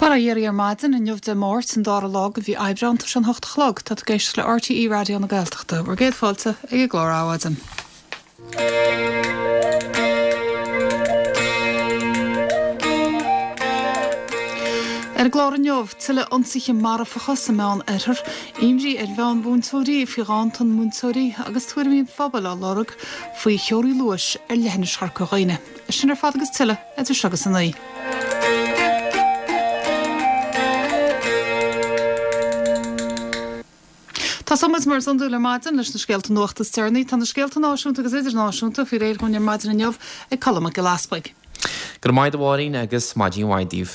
Bail ó Dhia oraibh ar maidin, inniu Dé Máirt, an dara lá de mhí Aibreán, tá sé an hocht a chlog, tá tú ag éisteacht le RTÉ Raidió na Gaeltachta. Bhur gcéad fáilte ag an gclár Adhmhaidin. Ar an gclár inniu, tuilleadh ionsaithe marfacha sa Meán-Oirthear, imní ar mheánmhúinteoirí faoi ghanntan múinteoirí agus tuairimí an phobail á lorg faoi theoraí luais ar leithinis Chorca Dhuibhne. Sin ar fad agus tuilleadh idir seo agus a 9. Tosóidh muid mar is iondúil ar maidin leis na scéalta nuachta is deireanaí. Tá na scéalta náisiúnta agus idirnáisiúnta faoi réir dhúinn ar maidin inniu ag Colm Mac Giolla Easpaig. Go raibh maith agat a Mháirín agus maidin mhaith daoibh.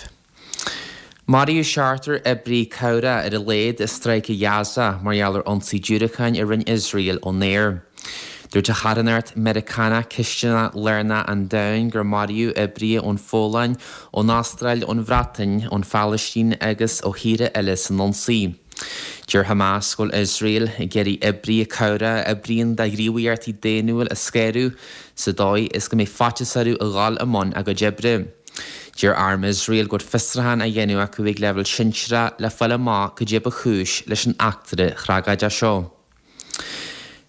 Maraíodh seachtar oibrí cabhrach ar a laghad i Stráice Ghaza mar gheall ar ionsaí diúracáin a rinne Iosrael ón aer. Dúirt an charthanacht Meiriceánach Cistineach Lárnach an Domhain gur maraíodh oibrithe ón Pholainn, ón Astráil, ón Bhreatain, ón Phalaistín agus ó thíortha eile san ionsaí. Deir Hamas go bhfuil Iosrael ag iarraidh oibrithe cabhrach a oibríonn do ghníomhaíochtaí daonnúil a scaradh sa dóigh is go mbeidh faitíos orthu a dhul i mbun a gcuid oibre. Deir arm Iosrael go bhfuil fiosrúchán á dhéanamh acu ag leibhéal sinsearach le fáil amach cad é ba chúis leis an eachtra thragóideach seo.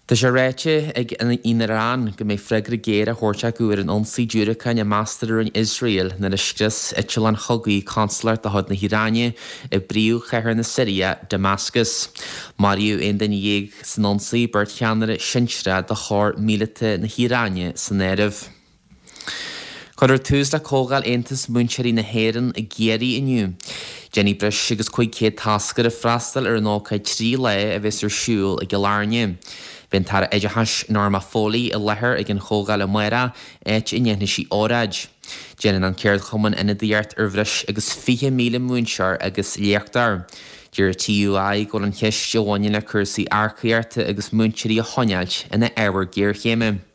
Tá sé ráite ag an Iaráin go mbeidh freagra géar á thabhairt acu ar an ionsaí diúracáin a meastar a rinne Iosrael nuair a scrios eitleán chogaidh consalacht de chuid na hIaráine i bpríomhchathair na Siria, Damascus. Maraíodh 11 duine san ionsaí, beirt cheannaire sinsearach de chór míleata na hIaráine san áireamh. Cuirfear tús le Comhdháil Aontas Múinteoirí na hÉireann i gCiarraí inniu. Déanfaidh breis agus 500 toscaire freastal ar an ócáid 3 lá a bheas ar siúl i gCill Airne. Beidh an tAire Oideachais Norma Foley i láthair ag an chomhdháil amárach, áit a ndéanfaidh sí óráid. Déanann an ceardchumann ionadaíocht ar bhreis agus 20,000 múinteoir agus léachtóir. Deir an TUI go bhfuil an cheist a bhaineann le cúrsaí earcaíochta agus múinteoirí a choinneáilt ina ábhar géarchéime.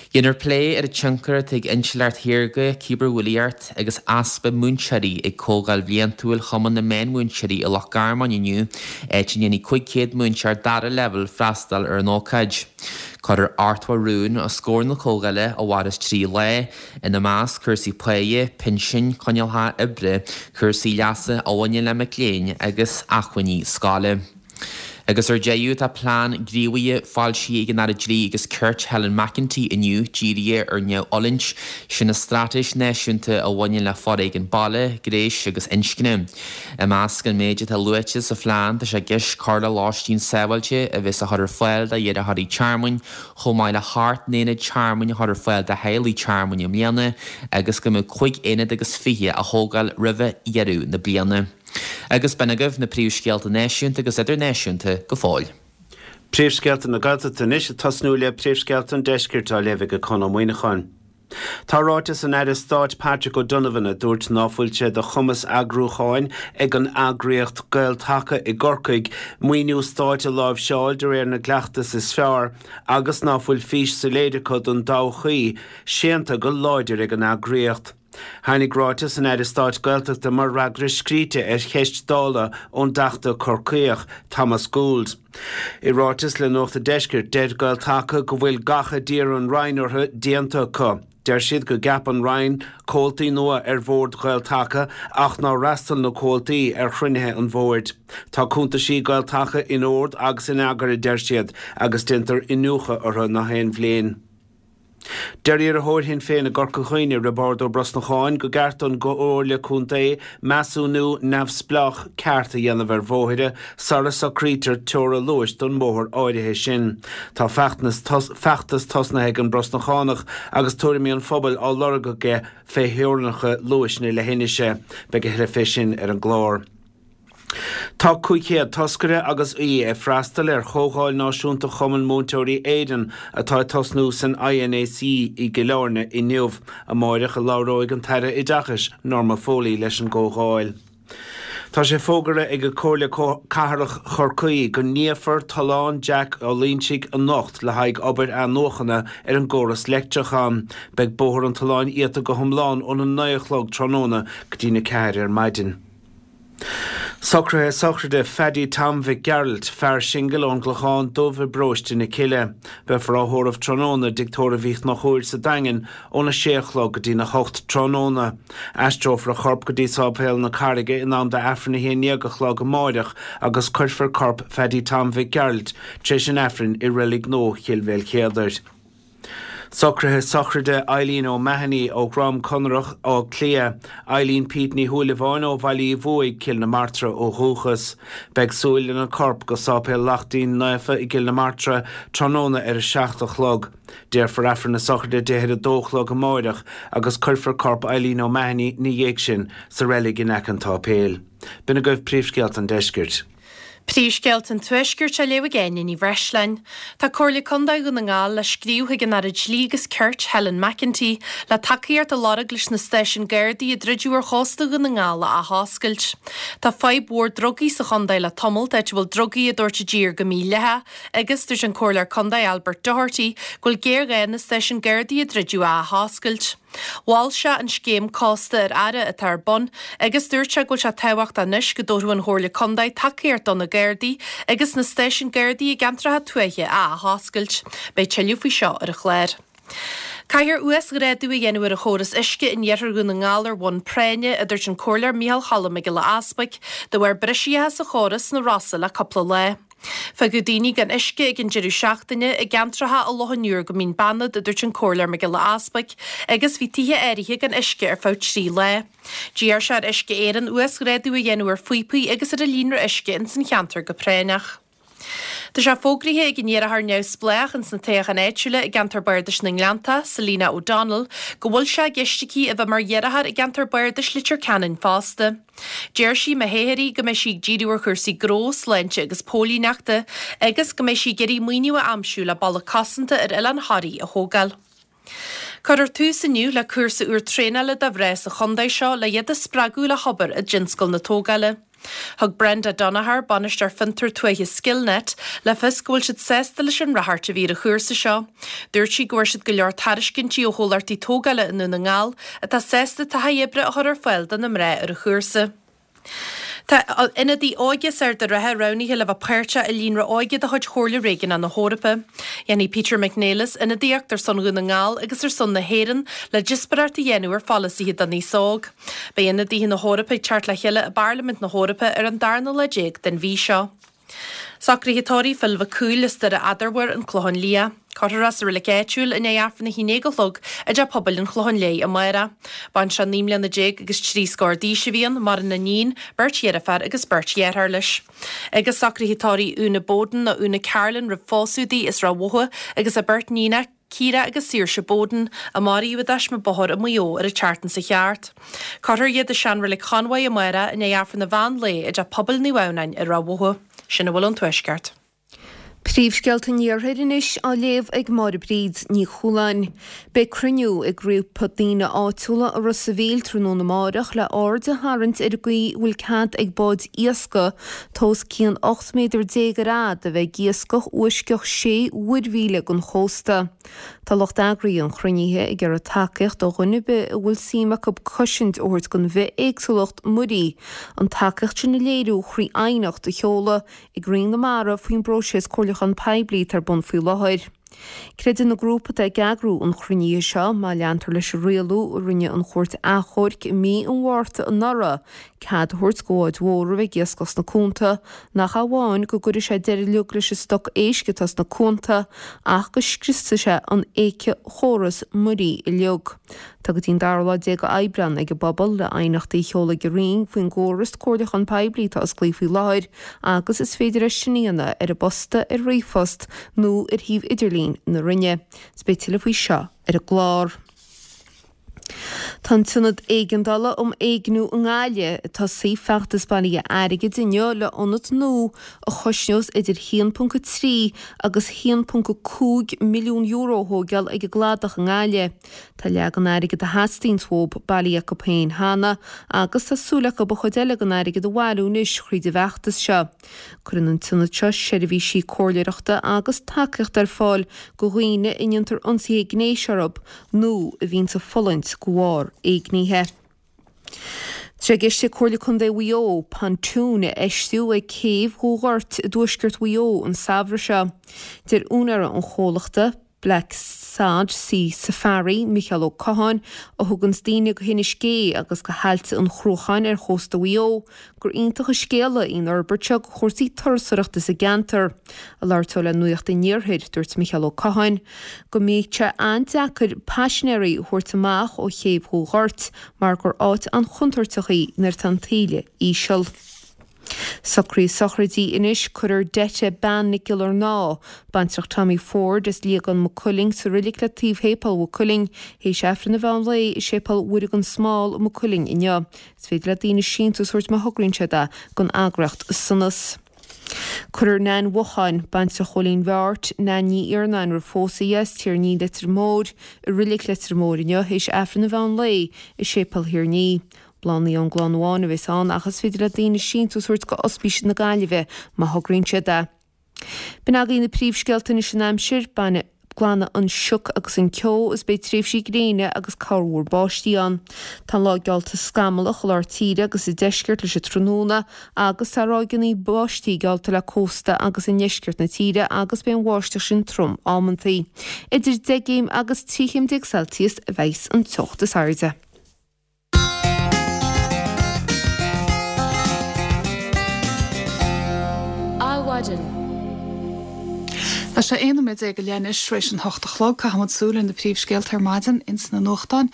Déanfar plé ar an tionchar atá ag intleacht shaorga, cibearbhulaíocht agus easpa múinteoirí ag Comhdháil Bhliantúil Chumann na Meánmhúinteoirí i Loch Garman inniu, áit a ndéanfaidh 500 múinteoir dara leibhéal freastal ar an ócáid. Cuirfear 80 rún os comhair na comhdhála a mhairfeas 3 lá, ina measc cúrsaí páighe, pinsin, coinníollacha oibre, cúrsaí leasa a bhaineann le mic léinn agus acmhainní scoile. Agus ar deireadh, tá plean gníomhaithe foilsithe ag an Aire Dlí agus Cirt Helen McEntee inniu dírithe ar neamhfhulaingt, sin an straitéis náisiúnta a bhaineann le foréigean baile, gnéis agus inscne. I measc an méid atá luaite sa phlean tá sé i gceist cur le lóistín sábháilte a bheas á chur ar fáil d'iarrthóirí tearmainn, chomh maith le hocht n-aonad tearmainn a chur ar fáil do theaghlaigh tearmainn i mbliana agus go mbeadh 5 aonad agus 20 á thógáil roimhe dheireadh na bliana. Agus b'in agaibh na príomhscéalta náisiúnta agus idirnáisiúnta go fóill. Príomhscéalta na Gaeltachta anois ag tosnú le príomhscéalta an Deiscirt á léamh ag Conn Ó Muíneacháin. Tá ráiteas an Aire Stáit Patrick O'Donovan a dúirt ná fuil sé de chumas eagrúcháin ag an eagraíocht Gael-Taca i gCorcaigh maoiniú stáit a láimhseáil de réir na gcleachtas is fearr agus ná fuil fís soiléir acu don dtodhchaí séanta go láidir ag an eagraíocht. Tháinig ráiteas an Aire Stáit Gaeltachta mar fhreagra scríte ar cheist Dála ón dTeachta Corcaíoch, Thomas Gould. I ráiteas le Nuacht an Deiscirt, deir Gael-Taca go bhfuil gach a d'iarr an Roinn orthu déanta acu. Deir siad go gceap an Roinn comhaltaí nua ar bhord Ghael-Taca ach nár fhreastail na comhaltaí ar chruinnithe an bhoird. Tá cuntaisí Gael-Taca in ord agus in eagar, a deir siad, agus déantar iniúchadh orthu na haon bhliain. Deir iarrthóir Shinn Féin i gCorca Dhuibhne, Roibeárd Ó Brosnacháin, go gceart don gComhairle Contae measúnú neamhspleách ceart a dhéanamh ar bhóithre sara socraítear teora luais don mbóthar áirithe sin. Tá feachtas tosnaithe ag an mBrosnachánach agus tuairimí an phobail á lorg aige fé theorainneacha luais na leithinise. Beidh a thuilleadh fé sin ar an gclár. Tá 500 toscaire agus aoi ag freastal ar Chomhdháil Náisiúnta Chumann Múinteoirí Éireann atá ag tosnú san INAC i gCill Airne inniu. Amáireach a labhróidh an tAire Oideachais, Norma Foley leis an gcomhdháil. Tá sé fógartha ag Comhairle Cathrach Chorcaí go n-iafar Tollán Jack Ó Loingsigh anocht le haghaidh obair athnuachana ar an gcóras leictreach ann. Beidh Bóthar an Tolláin iata go hiomlán óna 9 a chlog tráthnóna go dtína 4 ar maidin. Socruithe sochraide Phaddy Tom Mhic Gearailt, fear singil ón gClochán Dubh i bparóiste na Cille. Beifear á thórramh tráthnóna i dTigh Tórraimh Uí Chonchúir sa Daingean óna sé a chlog go dtína hocht tráthnóna. Aistreofar a chorp go dtí Sáipéal na Carraige in am d'Aifreann a haon ndéag a chlog amáireach agus cuirfear corp Phaddy Tom Mhic Gearailt tar éis an Aifrinn i Reilig Nua Chill Mhaoilchéadair. Socruithe sochraide Eileen O'Mahony ó Dhrom Conaireach, Áth Cliath, Eileen Pete Ní Shúilleabháin ó Bhaile Uí Bhuaigh, Cill na Martra ó dhúchas. Beidh súil lena corp go Sáipéal Lachtaín Naofa i gCill na Martra tráthnóna ar a 7 a chlog. Déarfar Aifreann na sochraide di ar a dó a chlog amáireach agus cuirfear corp Eileen O'Mahony ina dhiaidh sin sa reilig in aice an tsáipéil. B'in agaibh príomhscéalta an deiscirt. Príomhscéalta an Tuaiscirt á léamh ag Áine Ní Bhreisleáin. Tá Comhairle Contae Dhún na nGall le scríobh chuig an Aire Dlí agus Cirt, Helen McEntee, le tacaíocht a lorg leis na stáisiúin Gardaí a druideadh ar chósta Dhún na nGall a athoscailt. Tá fadhb mhór drugaí sa chontae le tamalt, áit a bhfuil drugaí á dtabhairt i dtír go mídhleathach agus dúirt an Comhairleoir Contae Albert Doherty go bhfuil géarghá na stáisiúin Gardaí a druideadh a athoscailt. Mhol sé an scéim Cósta ar Aire atá ar bun agus dúirt sé go bhfuil sé tábhachtach anois go dtabharfadh an Chomhairle Contae tacaíocht do na Gardaí agus na stáisiúin Gardaí i gceantracha tuaithe a athoscailt. Beidh tuilleadh faoi seo ar an chlár. Caithfear uasghrádú a dhéanamh ar an chóras uisce in iarthar Dhún na nGall ar bhonn práinne, a dúirt an Comhairleoir Micheál Cholm Mac Giolla Easbuic, de bharr briseacha sa chóras sna Rosa le cúpla lá. Fágadh daoine gan uisce ag an deireadh seachtaine i gceantracha i Loch an Iúir go Mín Banad, a dúirt an Comhairleoir Mac Giolla Easbuic, agus bhí tithe áirithe gan uisce ar feadh 3 lá. D'iarr sé ar Uisce Éireann uasghrádú a dhéanamh ar phíopaí agus ar an líonra uisce ins an cheantar go práinneach. Tá sé fógraithe ag an iarrthóir neamhspleách ins na toghcháin áitiúla i gceantar Bardais na nGleanntach, Selina O'Donnell, go bhfuil sé i gceist aici a bheith mar iarrthóir i gceantar Bardais Leitir Ceanainn fosta. Deir sí, má thoghtar í, go mbeidh sí ag díriú ar chúrsaí gnó, sláinte agus póilíneachta agus go mbeidh sí ag iarraidh maoiniú a aimsiú le balla cosanta ar Oileán Thoraí a thógáil. Cuirfear tús inniu le cúrsa úr traenála do mhná sa chontae seo le iad a spreagadh le hobair i dtionscal na tógála. Thug Brenda Donaher, Bainisteoir Fiontar Tuaithe Skillnet, le fios go bhfuil siad sásta leis an ráchairt a bhí ar an chúrsa seo. Dúirt sí go bhfuair siad go leor tairiscintí ó chomhlachtaí tógála i nDún na nGall atá sásta taithí oibre a chur ar fáil do na mná ar an chúrsa. Tá ionadaí óige as Ard an Rátha roghnaithe le bheith páirteach i líonra óige de chuid Chomhairle Réigiúnach na hEorpa. Dhéanfaidh Peter McNelis ionadaíocht ar son Dhún na nGall agus ar son na hÉireann le díospóireacht a dhéanamh ar pholasaithe don aos óg. Beidh ionadaithe na hEorpa ag teacht le chéile i bParlaimint na hEorpa ar an darna lá déag den mhí seo. Socruithe tórraimh Phil Mhic Cumhaill as Doire Eadarmhair, An Clochán Liath. Cuirfear é sa reilig áitiúil i ndiaidh Aifreann 11 a chlog i dTeach Pobail an Chlocháin Léith amárach. Baintreach 19 mbliana agus trí scór d'aois a bhí ann, maireann a iníon, beirt dheirféar agus beirt dheartháir leis. Agus socruithe tórraimh Úna Bowden nó Úna Carlin roimh phósadh di as Ráth Bhotha agus a beirt níonach, Ciara agus Saoirse Bowden, a maraíodh i dtaisme bóthair i Maigh Eo ar an tseachtain seo thart. Cuirfear iad i seanreilig Chonmhaigh amárach i ndiaidh Aifreann an mheán lae i dTeach Pobail Naomh Adhamhnáin i Ráth Bhotha. Sin a bhfuil ón Tuaisceart. Príomhscéalta an Iarthair anois á léamh ag Máire Bríd Ní Chualáin. Beidh cruinniú ag grúpa daoine áitiúla i Ros a' Mhíl tráthnóna amáireach le aird a tharraingt ar an gcaoi a bhfuil cead ag báid iascaigh atá os cionn 18 méadar ar fhad a bheith ag iascach uaisceach sé mhuirmhíle den chósta. Tá lucht eagraithe an chruinnithe ag iarraidh tacaíocht ó dhuine ar bith a bhfuil suim acu cosaint a thabhairt don bhithéagsúlacht muirí, an tacaíocht sin a léiriú thrí aighneacht a sheoladh ag Roinn na Mara faoin bpróiseas comhairliúchán poiblí atá ar bun faoi láthair. Creideann an grúpa atá ag eagrú an chruinnithe seo, má leantar leis an rialú a rinne an Chúirt Achomhairc i mí an Mhárta anuraidh, cead a thabhairt do bháid mhóra a bheith ag iascach sna cuanta, nach amháin go gcuirfidh sé deireadh uilig leis an stoc éisc atá sna cuanta, ach go scriosfaidh sé an éiceachóras muirí uilig. Tá go dtí an dara lá déag d'Aibreán ag an bpobal le aighneachtaí a sheoladh ag an Roinn faoin gcóras comhairliúchán poiblí atá osclaithe faoi láthair agus is féidir é sin a dhéanamh ar an bposta, ar ríomhphost nó ar shuíomh idirlín na Roinne. Is beidh tuilleadh faoi seo ar an gclár. Tá an tIonad Éigeandála um Éigniú i nGaillimh ag tosaí feachtas bailithe airgid inniu le ionad nua a chosnós idir 1.3 agus 1.5 milliún euro a thóigeáil ag an gCladach i nGaillimh. Tá leath den airgead a theastaíonns uathu bailithe acu féin cheana agus tá súil acu an chuid eile den airgead a bhailiú anois thríd an bhfeachtas seo. Cuireann an t-ionad seo seirbhísí comhairleoireachta agus tacaíochta ar fáil do dhaoine a ndéantar ionsaithe gnéis orthu nó a bhíonns ag fulaingt de bharr éignithe. Tá sé i gceist ag Comhairle Contae Mhaigh Eo pontoon a fheistiú ag céibh Dhún Ghoirt i dtuaisceart Mhaigh Eo an samhradh seo. Deir úinéir an chomhlachta, Black Sod Sea Safari, Micheál Ó Catháin, a thuganns daoine go hInis Gé agus go hAillte an Chruacháin ar chósta Mhaigh Eo, gur iontach an scéala í an fhorbairt seo do chúrsaí turasóireachta sa gceantar. Ag labhairt dó le Nuacht an Iarthair, dúirt Micheál Ó Catháin go mbíodh sé an-deacair paisinéirí a thabhairt amach ó chéibh Dhún Ghoirt mar gur áit an-chontúirteach í nuair atá an taoille íseal. Socruithe sochraidí anois, Cuirfear Detta Bean Nic Giollarnáth, baintreach Tommy Ford as Liagán Maigh Cuilinn, sa roilig le taobh Shéipéal Mhaigh Cuilinn, théis Aifreann an mheán lae i Séipéal Mhuire gan Smál i Maigh Cuilinn inniu. Is féidir le daoine síntiús a thabhairt má thograíonn siad é don eagraíocht Sonas. Cuirfear Nan Mhocháin, baintreach Chóilín Bheáirt, Nan Ní Iarnáin roimh phósadh di as Tír an Fhia Leitir Móir, i Roilig Leitir Móir inniu théis Aifreann an mheán lae i Séipéal Thír an Fhia. Bláthnaí ón gclann amháin a bheas ann ach is féidir le daoine síntiús a thabhairt go Ospís na Gaillimhe má thograíonn siad é. B'in agaibh na príomhscéalta anois an aimsir, bainfidh glanfaidh an sioc agus an ceo is beidh tréimhsí gréine agus corrmhúr báistí ann. Tá an lá geallta scamallach i lár tíre agus sa deisceart leis an tráthnóna agus tá ráigeanna báistí geallta le cósta agus i ndeisceart na tíre agus beidh an bháisteach sin trom amantaí. Idir 10 gcéim agus 13 chéim Celsius a bheas an teocht is airde. Adhmhaidin. Tá sé 11 nóiméad go leith anois tar éis an hocht a chlog. Caithfidh muid súil ar na príomhscéalta ar maidin ins na nuachtáin.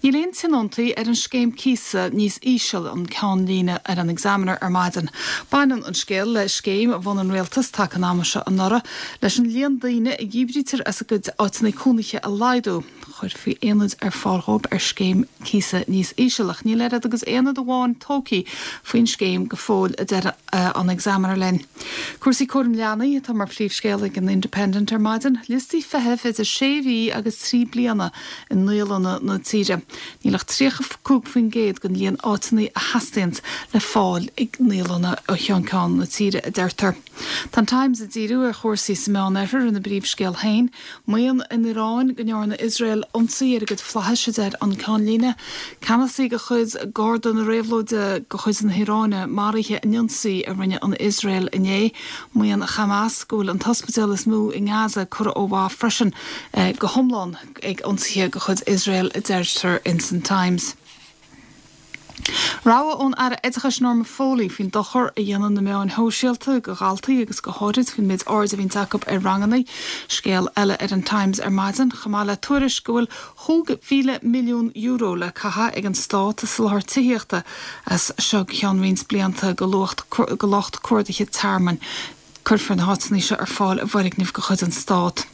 Níl aon tionóntaí ar an scéim cíosa níos íseal an ceannlíne ar an Examiner ar maidin. Baineann an scéal le scéim a bhunaigh an rialtas taca an ama seo anuraidh leis an líon daoine a dhíbrítear as a gcuid áiteanna cónaithe a laghdú. Chuirfí aonaid ar fáil dhóibh ar scéim cíosa níos íseal, ach níl oiread agus aonad amháin tógtha faoin scéim go fóill, a deir an Examiner linn. Cúrsaí cúraim leanaí atá mar phríomhscéal ag an Independent ar maidin. Liostaí feithimh idir sé mhí agus 3 bliana i naíolanna na tíre. Níl ach 35% den líon áiteanna a theastaíonns le fáil ag naíolanna ó cheann ceann na tíre, a deirtear. Tá an Times ag díriú ar chúrsaí sa Meán-Oirthear ina bpríomhscéal féin. Maíonn an Iaráin go ndearna Iosrael ionsaí ar a gcuid flaithis, a deir an ceannlíne. Ceannasaí de chuid Garda na Réabhlóide de chuid na hIaráine maraithe in ionsaí a rinne an Iosrael inné. Maíonn Hamas go bhfuil an t-ospidéal is mó i nGaza curtha ó mhaith freisin go hiomlán ag ionsaithe de chuid Iosrael, a deirtear ins an Times. Rabhadh ón Aire Oideachais Norma Foley faoin dochar a dhéanann na meáin shóisialta do dhaltaí agus go háirid faoin méid airde a bhíonns acu ar ranganna. Scéal eile ar an Times ar maidin, chomh maith le tuairisc go bhfuil €5,000 milliún le caitheamh ag an stát i soláthar tithíochta as seo go ceann roinnt blianta do lucht cuardaithe tearmainn. Cuirfear na háiteanna seo ar fáil i bhfoirgnimh de chuid an Stát.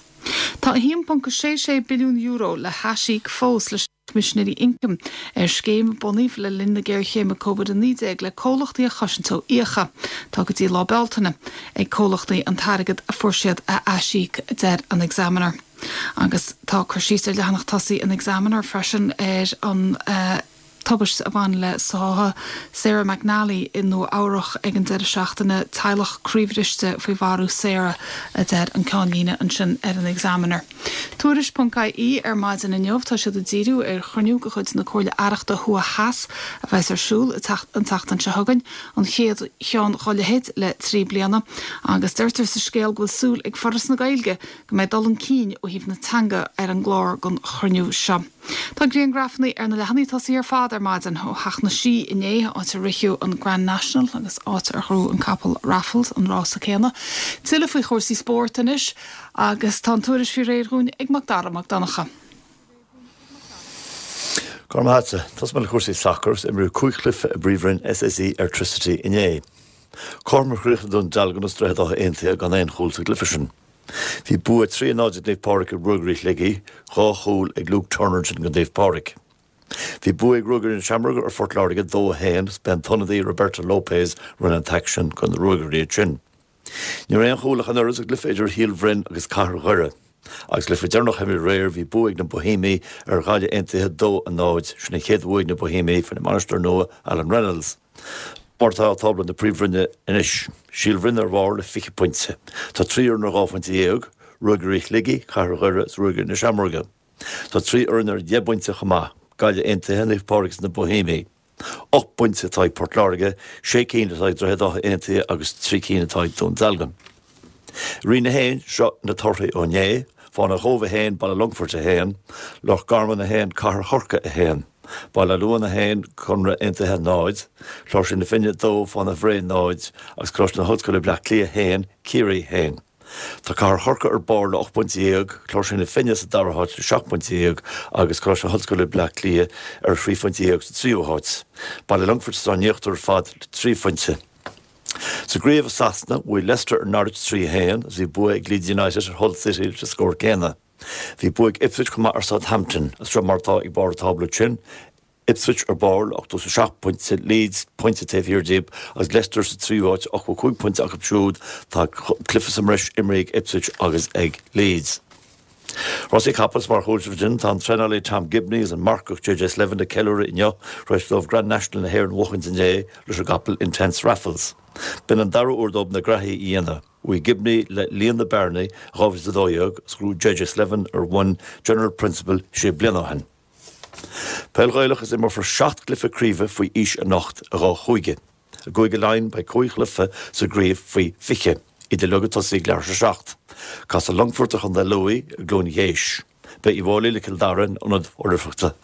Tá €1.66 billiún le haisíoc fós leis. Coimisinéirí Ioncaim, ar scéim a bunaíodh le linn na géarchéime Covid-19 le comhlachtaí a chosaint ó fhiacha. Tá go dtí lá Bealtaine ag comhlachtaí an t-airgead a fuair siad a aisíoc, a deir an Examiner. Agus tá cur síos ar leathanach tosaigh an Examiner freisin ar an tubaiste a bhain le sáthadh Sarah McNally i Nua Eabhrach ag an deireadh seachtaine. Teaghlach croíbhriste faoi mharú Sarah, a deir an ceannlíne ansin ar an Examiner. Tuairisc ponc IE ar maidin inniu tá siad ag díriú ar chruinniú de chuid na Comhairle Aireachta Thuaidh Theas a bheas ar siúl an tseachtain seo chugainn, an chéad cheann dá leithéid le 3 bliana, agus deirtear sa scéal go bhfuil súil ag Foras na Gaeilge go mbeidh dul chun cinn ó thaobh na teanga ar an gclár don chruinniú seo. Tá griangrafanna ar na leathanaigh tosaigh ar fad ar maidin ó Theach na Sí inné, áit a ritheadh an Grand National agus áit ar ghnóthaigh an capall Raffles an rása céanna. Tuilleadh faoi chúrsaí spóirt anois. Agus tá an tuairisc faoi réir dhúinn ag Mac Dara Mac Donncha. Go raibh maith agatsa. Tosóidh mé le cúrsaí sacair agus imríodh 5 chluiche i bPríomhroinn SSE Airtricity inné. Cothrom a chríochnaigh Dún Dealgan agus Droichead Átha Aontaithe gan aon chúl sa gcluiche sin. Bhí bua 3-0 ag Naomh Pádraig ar Ruagairí Shligigh, dhá chúl ag Luke Turner ansin do Naomh Pádraig. Bhí bua ag Ruagairí na Seamróige ar Phort Láirge 2-1 agus b'é an t-ionadaí Roberto Lopez a rinne an t-aicsean do na Ruagairí ansin. Ní raibh aon chúl ach an oiread sa gcluiche idir Shíol Bhroin agus Cathair Dhoire. Agus cluiche deireanach a imríodh aréir, bhí bua ag na Boihéamaigh ar Ghaillimh Aontaithe 2-0. Sin an chéad bhua ag na Boihéamaigh faoina mbainisteoir nua Alan Reynolds. Mar atá tábla na Príomhroinne anois, Síol Bhroin ar bharr le 20 pointe. Tá 3 fhoireann ar dhá phointe dhéag, Ruagairí Shligigh, Cathair Dhoire agus Ruagairí na Seamróige. Tá 3 fhoireann ar dheich bpointe chomh maith, Gaillimh Aontaithe, Naomh Pádraig agus na Boihéamaigh. 8 bpointe atá ag Port Láirge, sé cinn atá ag Droichead Átha Aontaithe agus 3 cinn atá ag Dún Dealgan. Roinn 1, Seo na torthaí ó inné, Fánaidh Chóbh 1, Baile Longfoirt 1, Loch Garman 1, Cathair Chorcaí 1, Baile Luain 1, Conradh Aontaithe 0, Cláirsigh na Finne 2, Fánaidh Bhré 0 agus Coláiste na hOllscoile Bleá Cliath 1, Ciarraí 1. Tá Cathair Chorcaí ar barr le 18 pointe, Cláirsigh na Finne sa dara háit le 17 pointe agus Coláiste na hOllscoile Bleá Cliath ar thrí phointe dhéag sa tríú háit. Baile Longfoirt atá in íochtar ar fad le 3 phointe. Sa gcraobh i Sasana, bhuaigh Leicester ar Norwich 3, 1 agus bhí bua ag Leeds United ar Hull City leis an scór céanna. Bhí bua ag Ipswich chomh maith ar Southampton agus seo mar atá ag barr an tábla ansin, Ipswich ar barr le 87 pointe, Leeds pointe taobh thiar díobh agus Leicester sa tríú háit, 85 pointe acu siúd. Tá cluiche sa mbreis imrithe ag Ipswich agus ag Leeds. Rásaí capall is mar a chuala sibh ansin, tá an traenálaí Tom Gibney agus an marcach JJ Slevin ag ceiliúradh inniu tar éis dóibh Grand National na hÉireann a bhuachaint inné leis an gcapall Intense Raffles. B'in an dara huair dóibh na graithí a dhéanamh. Bhuaigh Gibney le líon na bearnaí i 2012 agus ghnóthaigh JJ Slevin ar mhuin General Principle sé bliana ó shin. Peil Ghaelach is imreofar 7 gcluiche craoibhe faoi aois anocht i 2 chúige. I gCúige Laighean beidh 5 chluiche sa gcraobh faoi 20, iad uilig ag tosaí ag leathuair tar éis a 7. Casfaidh Longfort ar Chontae Lú i gCluain Gheis. Beidh Uíbh Fhailí le Cill Dara in Ionad Oilithreachta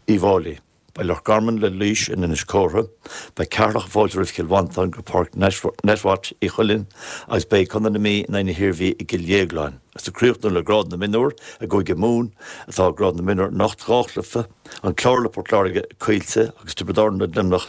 Uíbh Fhailí. Beidh Loch Garman le Laois in Inis Córthaidh. Beidh Ceatharlach ag fáiltiú roimh Chill Mhantáin go Páirc Netwatch Uí Chuilinn agus beidh Contae na Mí in aghaidh na hIarmhí i gCill Dhéagláin. Agus ag críochnú le grád na mionúr i gCúige Mumhan atá grád na mionúr anocht, 2 chluiche, An Clár le Port Láirge i Coillte agus Tiobraid Árann le Luimneach.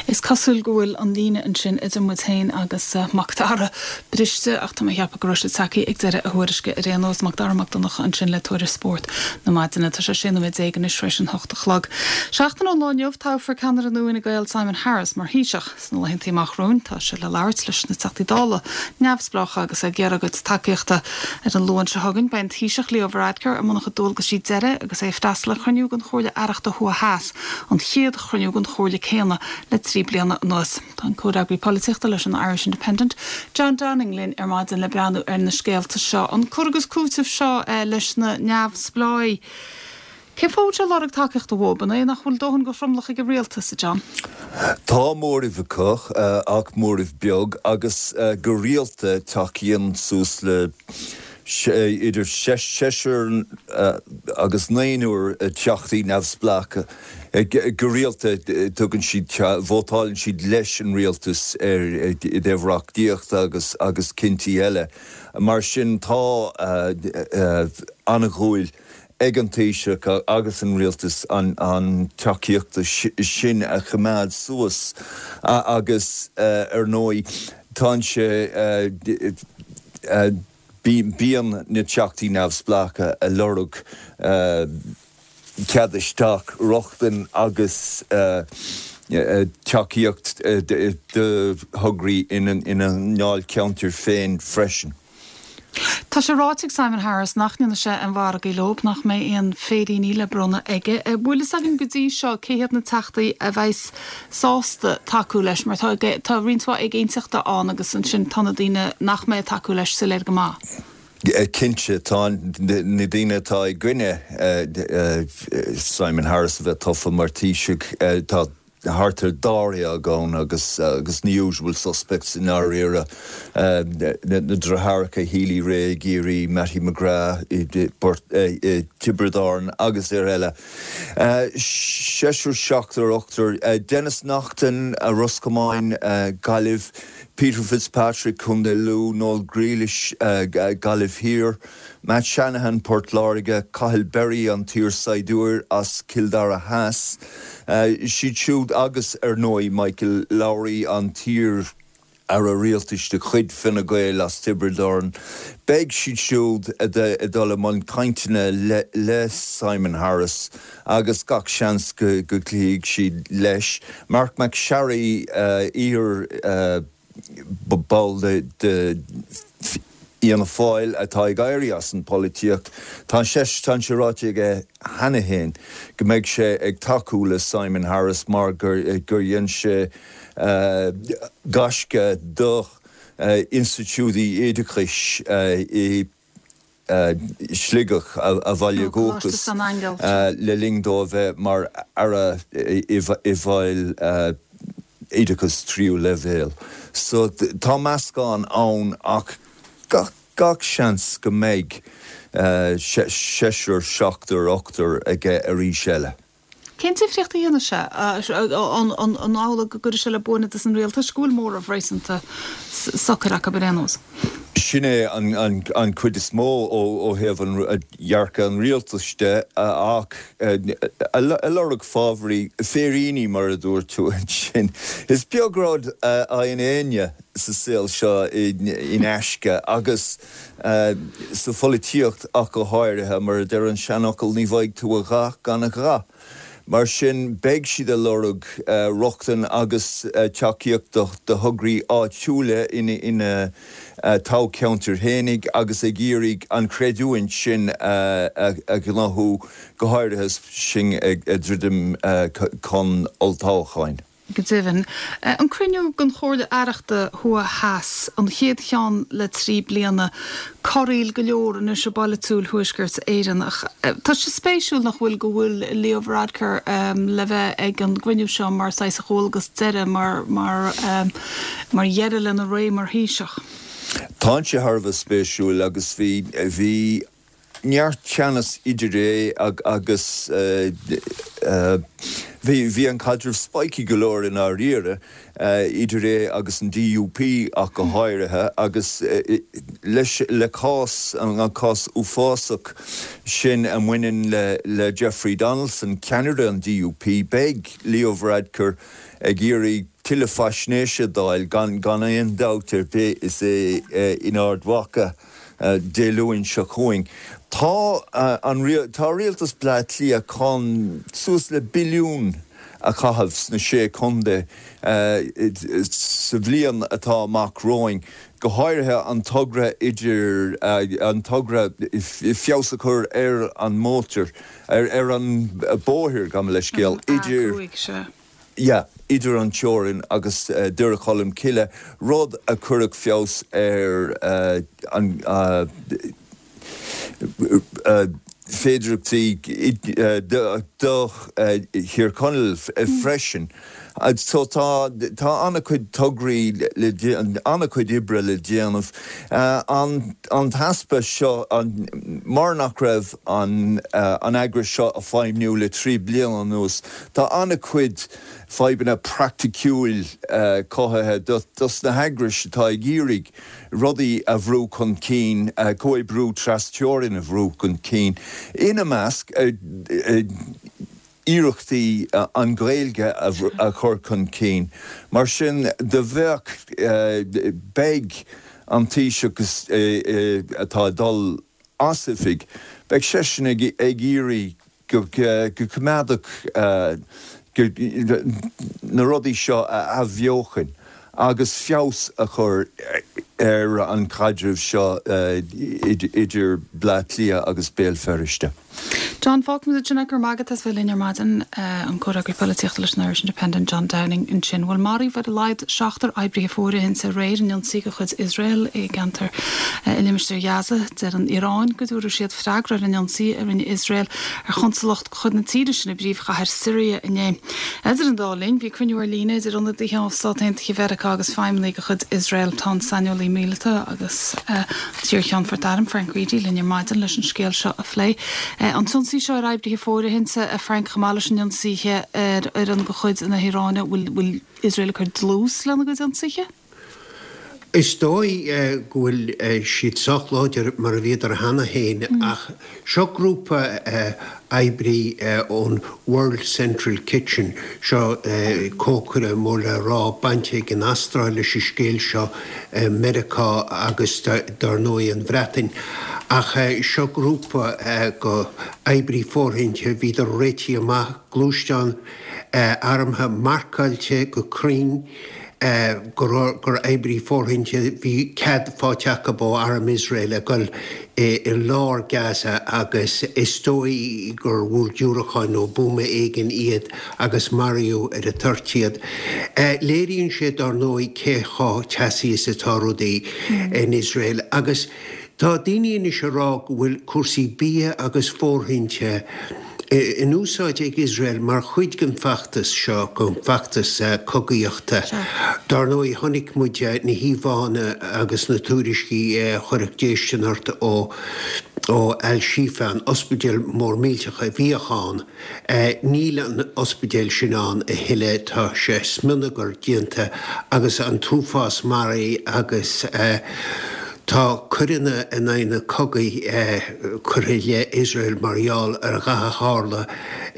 Is cosúil go bhfuil an líne ansin idir muid féin agus Mac Dara briste ach tá mé ag ceapadh go raibh sé tagtha ag deireadh a thuairisce ar aon nós. Mac Dara Mac Donncha ansin le tuairisc spóirt na maidine. Tá sé 16 nóiméad anois tar éis an hocht a chlog. Seachtain ón lá inniu toghfar ceannaire nua Fhine Gael Simon Harris mar Thaoiseach. Sna laethanta amach romhainn tá sé le labhairt leis na Teachtaí Dála neamhspleácha agus é ag iarraidh a gcuid tacaíochta. Ar an Luan seo chugainn beidh an Taoiseach Leo Varadkar i mbun a chuid dualgaisí deiridh agus é ag freastal ar chruinniú den Chomhairle Aireachta Thuaidh Theas, an chéad chruinniú den chomhairle céanna le 3 bliana anuas. Tá an comhfhreagraí polaitíochta leis an Irish Independent, John Downing linn ar maidin le breathnú ar na scéalta seo, an cur agus cúiteamh seo leis na neamhspleáigh. Cén fáth a bhfuil sé ag lorg tacaíochta uathu? An é nach bhfuil dóthain de thromlach ag an rialtas, a John? Tá móramh acu, ach móramh beag, agus go rialta tacaíonn suas le idir seisear agus naonúr teachtaí neamhspleácha. Go rialta tugann siad, vótálann siad leis an rialtas ar i dtaobh reachtaíochta agus agus cinntí eile. Mar sin tá an-dhúil ag an Taoiseach agus an Rialtas an tacaíocht sin a choimeád suas agus ar ndóigh tá sé, bíonn na Teachtaí Neamhspleácha ag lorg cead isteach, rochtain agus tacaíocht do thograí ina ndáilcheantair féin freisin. Tá sé ráite ag Simon Harris nach ndéanfaidh sé aon mhargaí leo, nach mbeidh aon féiríní le bronnadh aige. An bhfuil fhios againn go dtí seo cé hiad na teachtaí a bheas sásta tacú leis? Mar tá tá roinnt mhaith éiginnteachta ann agus ansin tá na daoine nach mbeidh ag tacú leis soiléir go maith. Cinnte, tá na daoine atá i gcoinne Simon Harris a bheith tofa mar Taoiseach, tá thart ar dáréag ann agus agus na usual suspects i ndáiríre, na deartháireacha Healy-Rae i gCiarraí, Mattie McGrath i dTiobraid Árann agus ar eile. Seisear, seachtar, ochtar, Denis Naughten, Ros Comáin, Gaillimh, Peter Fitzpatrick, Contae Lú, Noel Grealish, Gaillimh Thiar, Matt Shanahan, Port Láirge, Cathal Berry, an t-iarsaighdiúir as Cill Dara Theas, siad siúd agus, ar ndóigh, Michael Lowry, an t-iar-aire rialtais de chuid Fine Gael as Tiobraid Árann. Beidh siad siúd ag dul i mbun cainteanna le Simon Harris agus gach seans go gcloífidh siad leis. Marc MacSharry, iar. ball de Fhianna Fáil atá ag éirí as an bpolaitíocht, tá sé ráite aige cheana féin go mbeidh sé ag tacú le Simon Harris mar gur dhein sé gaisce do institiúidí oideachais i. Sligeach, a bhaile dhúchais, le linn dó a bheith mar Aire i bhfeighil oideachas tríú leibhéal. So tá meascán ann ach gach seans go mbeidh seisear, seachtar, ochtar aige arís eile. Cén difríocht a dhéanfaidh sé? An amhlaidh go gcuirfidh sé le buaine dos an rialtas go bhfuil móramh réasúnta socair acu ar aon nós? Sin é an chuid is mó ó thaobh dhearcadh an rialtais de ach ag lorg fábhraí, féiríní mar a dúirt tú ansin. Is beag rud a fhaigheann éinne sa saol seo in aisce agus sa pholaitíocht ach go háirithe, mar a deir an seanfhocal, ní bhfaighidh tú a dhath gan a dhath. Mar sin, beidh siad ag lorg rochtain agus tacaíocht do thograí áitiúla ina dtoghcheantair fhéinig agus ag iarraidh an chreidiúint sin a ghnóthú, go háirithe is sinn ag druidim chun olltoghcháin. Go deimhin. An cruinniú den Chomhairle Aireachta Thuaidh Theas, an chéad cheann le 3 bliana. Corraíl go leor anois i bpolaitiúil Thuaisceart Éireann. Ach tá sé spéisiúil, nach bhfuil, go bhfuil Leo Varadkar le bheith ag an gcruinniú seo mar saghas a dhualgas deiridh, mar mar mar dheireadh lena ré mar Thaoiseach. Tá sé thar a bheith spéisiúil agus bhí bhí neart teannas idir é agus bhí an caidreamh spiky go leor i ndáiríre idir é agus an DUP ach go háirithe agus leis le cás an cás uafásach sin a mbaineann le Jeffrey Donaldson, ceannaire an DUP, beidh Leo Varadkar ag iarraidh tuilleadh faisnéise d'fháil gan aon dabht ar bith is é in Ard Mhacha. Dé Luain seo chugainn. Tá an tá rialtas Bleá Cliath chun suas le billiún a chaitheamh sna Sé Chontae sa bhliain atá amach romhainn, go háirithe an togra idir an togra feabhas a chur ar an mótar ar an bóthar, gabh mo leithscéal, idir. A5, sea. yeah, idir an teorainn agus Doire Cholm Cille, rud a chuirfeadh feabhas ar an féidearthachtaí do Thír Chonaill freisin. So tá tá an-chuid tograí le an-chuid oibre le déanamh. An an t-easpa seo mar nach raibh an an eagras seo ag feidhmiú le 3 bliana anuas, Tá an-chuid fadhbanna praiticiúil cothaithe dos na heagrais atá ag iarraidh rudaí a bhrú chun cinn, comhoibriú tras-teorann a bhrú chun cinn, ina measc iarrachtaí an Ghaeilge a chur chun cinn. Mar sin do bheadh, beidh an Taoiseach atá ag dul as oifig, beidh seisean ag iarraidh go gcoimeádfadh na rudaí seo a athbheochan agus feabhas a chur ar an chaidreamh seo idir Bleá Cliath agus Béal Feirste. John, fágfaimid ansin é. Go raibh maith agat as bheith linn ar maidin. An comhfhreagraí polaitíochta leis an Irish Independent, John Downing ansin. Bhuel, maraíodh ar a laghad seachtar oibrithe fóirithinte aréir in ionsaí de chuid Iosrael i gceantar i limistéar Ghaza. Deir an Iaráin go dtabharfaidh siad freagra ar an ionsaí a rinne Iosrael ar chonsalacht de chuid na tíre sin i bpríomhchathair Siria inné. Idir an dá linn, bhí cruinniú ar líne idir ionadaithe ó Stáit Aontaithe Mheiriceá agus feidhmeannaigh de chuid Iosrael. Tá an saineolaí míleata agus an t-iar-Cheannfort Airm, Frank Reidy, linn ar maidin leis an scéal seo a phlé. An t-ionsaí seo ar oibrithe fóirithinte, a Frank, chomh maith leis an ionsaithe ar fhoireann de chuid na hIaráine, bhfuil Iosrael ag cur dlús lena gcuid ionsaithe? Is dóigh go bhfuil siad sách láidir mar a bhíodar cheana féin ach seo grúpa oibrí ón World Central Kitchen, seo cócaire mór le rá bainte ag an Astráil leis an scéal seo, Meiriceá agus dar ndóigh an Bhreatain. Ach seo grúpa go oibrí fóirithinte, bhíodar réitithe amach, gluaisteán armtha marcáilte go cruinn, gur oibrí fóirithinte, bhí cead faighte acu ó arm Iosrael a dhul i lár Gaza agus is dóigh gur bhuail diúracán nó buama éigin iad agus maraíodh ar an toirt iad. Léiríonn sé dár ndóigh cé chomh teasaí is atá rudaí in Iosrael agus. Tá daoine anois ag rá go bhfuil cúrsaí bia agus fóirithinte in úsáid ag Iosrael mar chuid den bhfeachtas seo, den bhfeachtas cogaíochta. Dar ndóigh, chonaic muid na híomhánna agus na tuairiscí a chuirfeadh déistin ort ó Al-Shifa, an ospidéal mór millteach a bhíodh ann. Níl an ospidéal sin ann a thuilleadh, tá sé smionagar déanta agus an t-uafás maraithe agus tá coireanna in aghaidh na cogaidh curtha i leith Iosrael mar gheall ar a dhath a tharla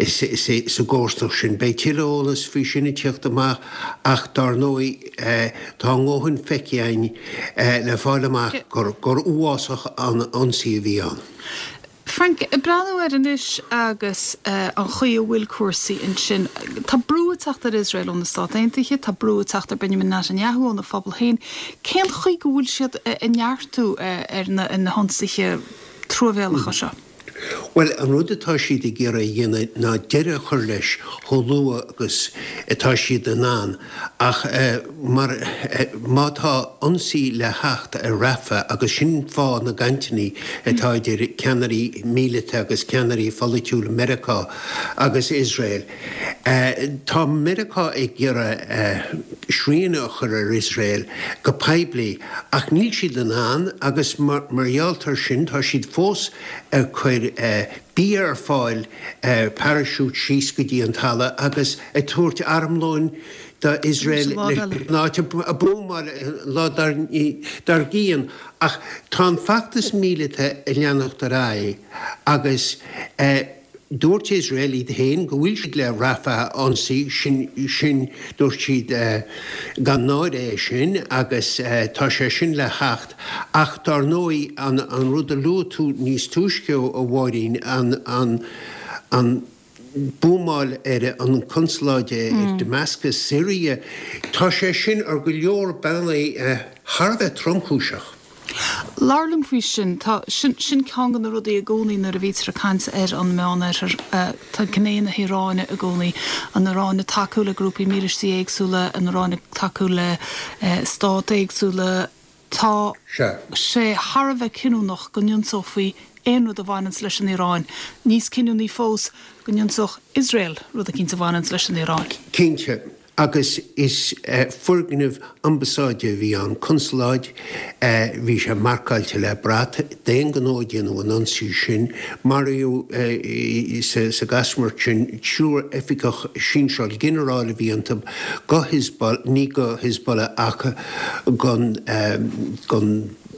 sa gcomharsanacht sin. Beidh tuilleadh eolas faoi sin ag tíocht amach ach dár ndóigh tá a ndóthain feicthe againn le fáil amach gur uafásach an ionsaí a bhí ann. Frank, ag breathnú air anois agus an chaoi a bhfuil cúrsaí ansin, tá brú ag teacht ar Iosrael ó na Stát Aontaithe, tá brú ag teacht ar Benjamin Netanyahu óna phobal féin. Cén chaoi go bhfuil siad ag neartú ar na hionsaithe truamhéalacha seo? Bhuel, an rud atá siad ag iarraidh a dhéanamh ná deireadh a chur leis chomh luath agus atá siad in ann. Ach mar, má tá ionsaí le theacht ar Rafah, agus sin fáth na gcainteanna atá idir ceannairí míleata agus ceannairí pholaitiúla Meiriceá agus Iosrael, tá Meiriceá ag iarraidh srian a chur ar Iosrael go poiblí, ach níl siad in ann agus mar gheall air sin tá siad fós ag cur bia ar fáil, paraisiút síos go dtí an talamh agus ag tabhairt armlóin do Iosrael leis an áit a buamáil an lá dár gcionn. Ach tá an feachtas míleata ag leanacht ar aghaidh agus dúirt Iosrael iad féin go bhfuil siad le Rafah a ionsaí, sin, sin, dúirt siad gan náire é sin agus tá sé sin le theacht. Ach dár ndóigh, an rud a luaigh tú níos túisce, a Mháirín, an, an, buamáil ar an consaláid i Damascus, Syria, tá sé sin ar go leor bealaí thar a bheith tromchúiseach. Labhair liom faoi sin. Tá, sin, sin ceann de na rudaí i gcónaí nuair a bhítear ag caint ar an Meánoirthear, tá gné na hIaráine i gcónaí, an Iaráin ag tacú le grúpaí mílístí éagsúla, an Iaráin ag tacú le stáit éagsúla, Tá sé thar a bheith cinniúnach go n-ionsófaí aon rud a bhaineanns leis an Iaráin. Níos cinniúnaí fós, go n-ionsódh Iosrael rud eicínt a bhaineanns leis an Iaráin. Cinnte. Agus is foirgneamh ambasáide a bhí ann, consaláid, bhí sé marcáilte le brat. D'aon ghnó a déanadh an ionsaí sin. Maraíodh sa gcasamhairt sin triúr oifigeach sinsearach, ginearál a bhí iontu, go Hezbollah, ní go Hezbollah ach gon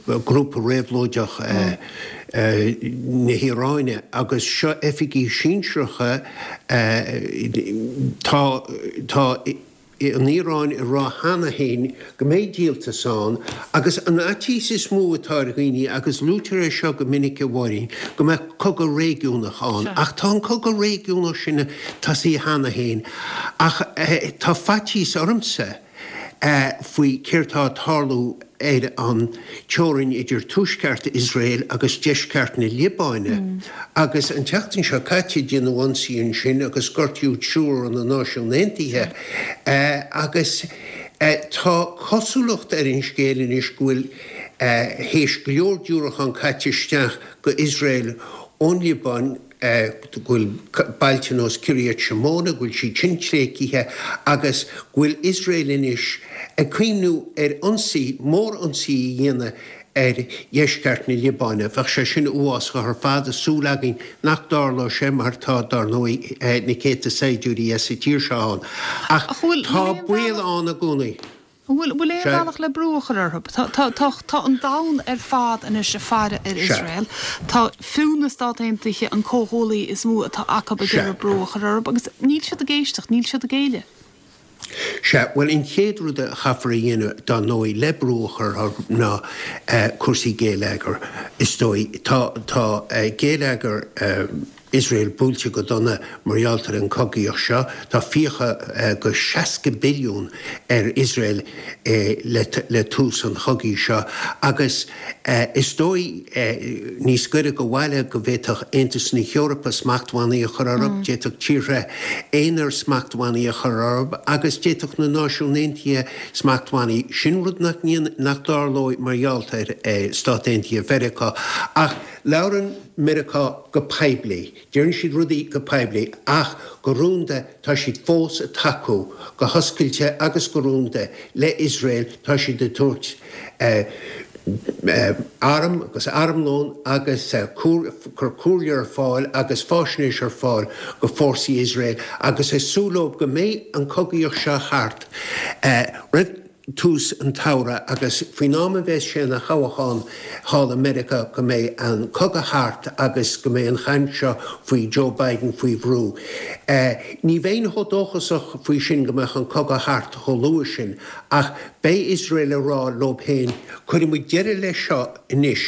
grúpa réabhlóideach na hIaráine agus seo oifigigh sinsearacha tá tá an Iaráin ag rá cheana féin go mbeidh díoltas ann agus an fhaitíos is mó atá ar dhaoine agus luaitear é seo go minic a Mháirín go mbeadh cogadh réigiúnach ann ach tá an cogadh réigiúnach sin tosaithe cheana féin ach tá faitíos ormsa faoi céard tá ag tarlú ar an teorainn idir tuaisceart Iosrael agus deisceart na Liobáine. Agus an tseachtain seo caite déanadh ionsaí ansin agus gortaíodh triúr ó na Náisiúin Aontaithe. Agus tá cosúlacht ar an scéal anois go bhfuil théis go leor diúracán caite isteach go Iosrael ón Liobáin, go bhfuil bailte nós Kiryat Shmona, go bhfuil siad sin tréigthe agus go bhfuil Iosrael anois ag cuimhniú ar ionsaí, mór-ionsaí a dhéanamh ar dheisceart na Liobáine. Bheadh sé sin uafásach ar fad, tá súil againn nach dtarlóidh sé mar tá, dar ndóigh, na céadta saighdiúirí as an tír seo ann. Ach tá baol ann i gcónaí. An bhfuil aon bhealach le brú a chur orthu? Tá an domhan ar fad anois ag faire ar Iosrael. Tá fiú na Stát Aontaithe, an comhghuaillí is mó atá acu, ag iarraidh brú a chur orthu agus níl siad ag éisteacht, níl siad ag géilleadh. Sea, bhuel an chéad rud a chaithfear a dhéanamh, dar ndóigh, le brú a chur orthu ná cúrsaí géilleagair, is dóigh. Tá géilleagar. Iosrael buailte go dona mar gheall ar an chogaíocht seo. Tá fiacha go 60 billiún ar Iosrael le tús an chogaidh seo agus is dóigh níos gaire do bhaile go bhféadfadh Aontas na hEorpa smachtbhannaí a chur orthu, d'fhéadfadh tíortha aonair smachtbhannaí a chur orthu agus d'fhéadfadh na Náisiúin Aontaithe smachtbhannaí. Sin rud nach nach dtarlóidh mar gheall ar Stáit Aontaithe Mheiriceá ach labhrann Meiriceá go poiblí. Deireann siad rudaí go poiblí ach go rúnda tá siad fós ag tacú, go hoscailte agus go rúnda, le Iosrael. Tá siad ag tabhairt arm agus armlón agus cur comhairle ar fáil agus fáisnéis ar fáil go fórsaí Iosrael agus is súil leo go mbeidh an cogaíocht seo thart roimh tús an tsamhraidh agus faoin am a bheas sé ina thoghchán thall i Meiriceá go mbeidh an cogadh thart agus go mbeidh an chaint seo faoi Joe Biden faoi bhrú. Ní bheinn chomh dóchasach faoi sin go mbeadh an cogadh thart chomh luath sin ach beidh Iosrael ag rá leo féin cuirfidh muid deireadh leis seo anois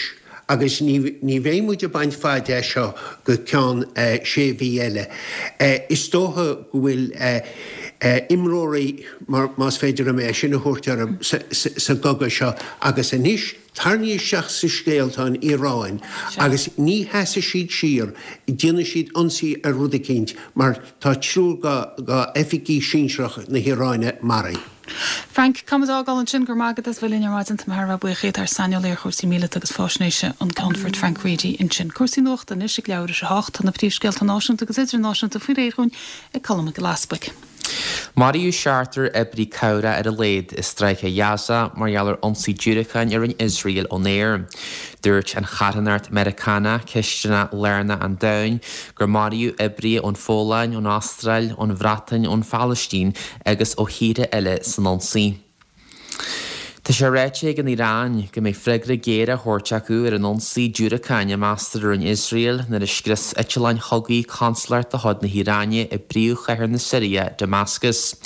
agus ní ní bheidh muid ag baint faid as seo go ceann sé mhí eile. Is dócha go bhfuil imreoirí, mar más féidir liom é sin a thabhairt orthu, sa gcogadh seo agus anois tarraingthe isteach sa scéal tá an Iaráin agus ní sheasfaidh siad siar, déanfaidh siad ionsaí ar rud eicínt mar tá triúr d'oifigigh sinsearach na hIaráine maraithe. Frank, Caithfimid a fhágáil ansin, go raibh maith agat as bheith linn ar maidin. Tá mé thar a bheith buíoch díot, ár saineolaí ar chúrsaí míleata agus faisnéise, an Ceannfort Frank Reidy ansin. Cúrsaí nuachta anois ag leathuair tar éis a hocht. Tá na príomhscéalta náisiúnta agus idirnáisiúnta faoi réir dhúinn ag Colm Mac Giolla Easpaig. Maraíodh seachtar oibrí cabhrach ar a laghad i Stráice Ghaza mar gheall ar ionsaí diúracáin a rinne Iosrael ón aer. Dúirt an charthanacht Meiriceánach, Cisteanach Lárnach an Domhain, gur maraíodh oibrithe ón Pholainn, ón Astráil, ón Bhreatain, ón Phalaistín agus ó thíortha eile san ionsaí. Tá sé ráite ag an Iaráin go mbeidh freagra géar á thabhairt acu ar an ionsaí diúracáin a meastar a rinne Iosrael nuair a scrios eitleáin chogaidh consalacht de chuid na hIaráine i bpríomhchathair na Siria, Damascus.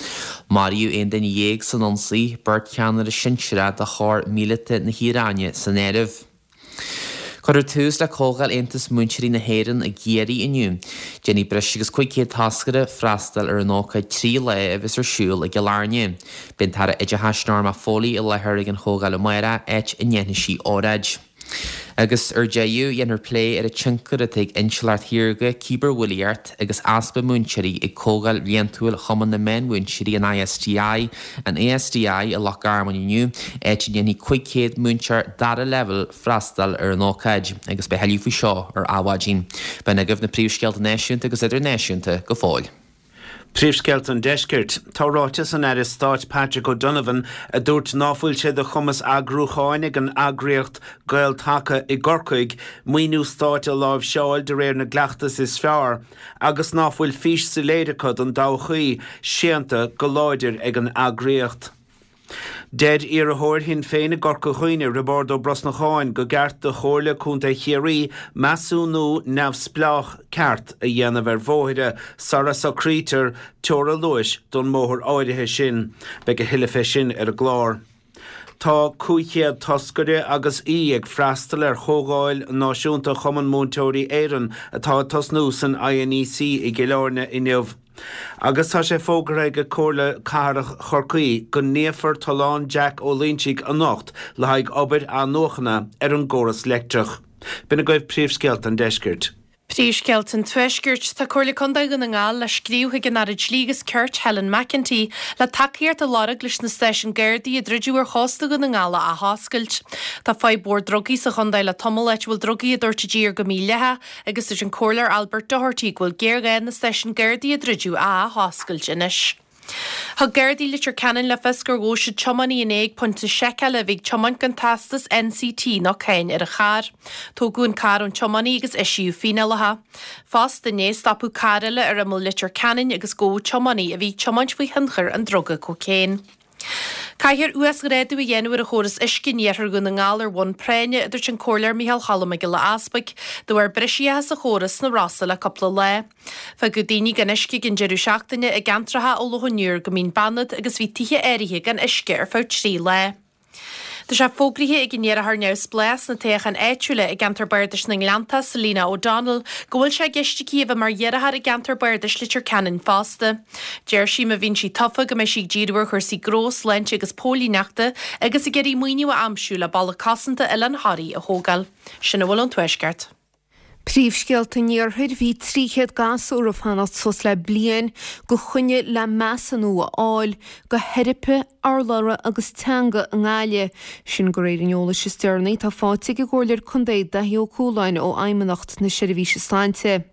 Maraíodh 11 duine san ionsaí, beirt cheannaire sinsearach de chór míleata na hIaráine san áireamh. Cuirfear tús le Comhdháil Aontas Múinteoirí na hÉireann i gCiarraí inniu. Déanfaidh breis agus 500 toscaire freastal ar an ócáid 3 lá a bheas ar siúl i gCill Airne. Beidh an tAire Oideachais Norma Foley i láthair ag an chomhdháil amárach, áit a ndéanfaidh sí óráid. Agus ar deireadh, dhéanfar plé ar an tionchar atá ag intleacht shaorga, cibearbhulaíocht agus easpa múinteoirí ag Comhdháil Bhliantúil Chumann na Meánmhúinteoirí, an ISTI, an ASDI, i Loch Garman inniu, áit a ndéanfaidh 500 múinteoir dara leibhéal freastal ar an ócáid, agus beidh thuilleadh faoi seo ar Adhmhaidin. B'in agaibh na príomhscéalta náisiúnta agus idirnáisiúnta go fóill. Príomhscéalta an Deiscirt. Tá ráiteas an Aire Stáit Patrick O'Donovan a dúirt ná fuil sé de chumas eagrúcháin ag an eagraíocht Gael-Taca i gCorcaigh maoiniú stáit a láimhseáil de réir na gcleachtas is fearr agus ná fuil fís soiléir acu don dtodhchaí, séanta go láidir ag an eagraíocht. Deir iarrthóir Shinn Féin i gCorca Dhuibhne, Roibeárd Ó Brosnacháin, go gceart do Chomhairle Contae Chiarraí measúnú neamhspleách ceart a dhéanamh ar bhóithre sara socraítear teora luais don mbóthar áirithe sin. Beidh a thuilleadh fé sin ar an gclár. Tá 500 toscaire agus aoi ag freastal ar Chomhdháil Náisiúnta Chumann Múinteoirí Éireann atá ag tosnú san INEC i gCill Airne inniu. Agus tá sé fógartha ag Comhairle Cathrach Chorcaí go níofar Tollán Jack Ó Loinsigh anocht le haghaidh obair athnuachana ar an gcóras leictreach. B'in agaibh príomhscéalta an deiscirt. Príomhscéalta an Tuaiscirt. Tá Comhairle Contae Dhún na nGall le scríobh chuig an Aire Dlí agus Cirt, Helen McEntee, le tacaíocht a lorg leis na stáisiúin Gardaí a druideadh ar chósta Dhún na nGall a athoscailt. Tá fadhb mhór drugaí sa chontae le tamall, áit a bhfuil drugaí á dtabhairt i dtír go mídhleathach agus dúirt an Comhairleoir Albert Doherty go bhfuil géarghá na stáisiúin Gardaí a druideadh a athoscailt anois. Thug Gardaí Leitir Ceanainn le fios gur ghabh siad tiománaí inné ag pointe seiceála a bhí ag tiomáint gan teastas NCT ná cáin ar a charr. Tógadh an carr ón tiománaí agus eisíodh fíneálacha. Fosta inné stopadh carr eile ar imeall Leitir Ceanainn agus gabhadh tiománaí a bhí ag tiomáint faoi thionchar an druga cócaon. Caithfear uasghrádú a dhéanamh ar an chóras uisce in iarthar Dhún na nGall ar bhonn práinne, a dúirt an Comhairleoir Micheál Cholm Mac Giolla Easpaig, de bharr briseacha sa chóras sna Rosa le cúpla lá. Fágadh daoine gan uisce ag an deireadh seachtaine i gceantracha ó Loch an Iúir go Mín Banad agus bhí tithe áirithe gan uisce ar feadh 3 lá. Tá sé fógraithe ag an iarrthóir neamhspleách sna toghcháin áitiúla i gceantar bardais na nGleanntach, Selina O'Donnell, go bhfuil sé i gceist aici a bheith mar iarrthóir i gceantar bardais Leitir Ceanainn fosta. Deir sí má bhíonn sí tofa go mbeidh sí ag díriú ar chúrsaí gnó, sláinte agus póilíneachta agus ag iarraidh maoiniú a aimsiú le balla cosanta Oileán Thoraí a thógáil. Sin a bhfuil ón Tuaisceart. Príomhscéalta an Iarthair, Bhí 300 gasúr ag fanacht suas le bliain go choinne le measúnú a fháil go theiripe urlabhra agus teanga i nGaillimh. Sin de réir an eolais is deireanaí atá faighte ag an gComhairleoir Contae Daithí Ó Cualáin ó Fheidhmeannacht na Seirbhíse Sláinte.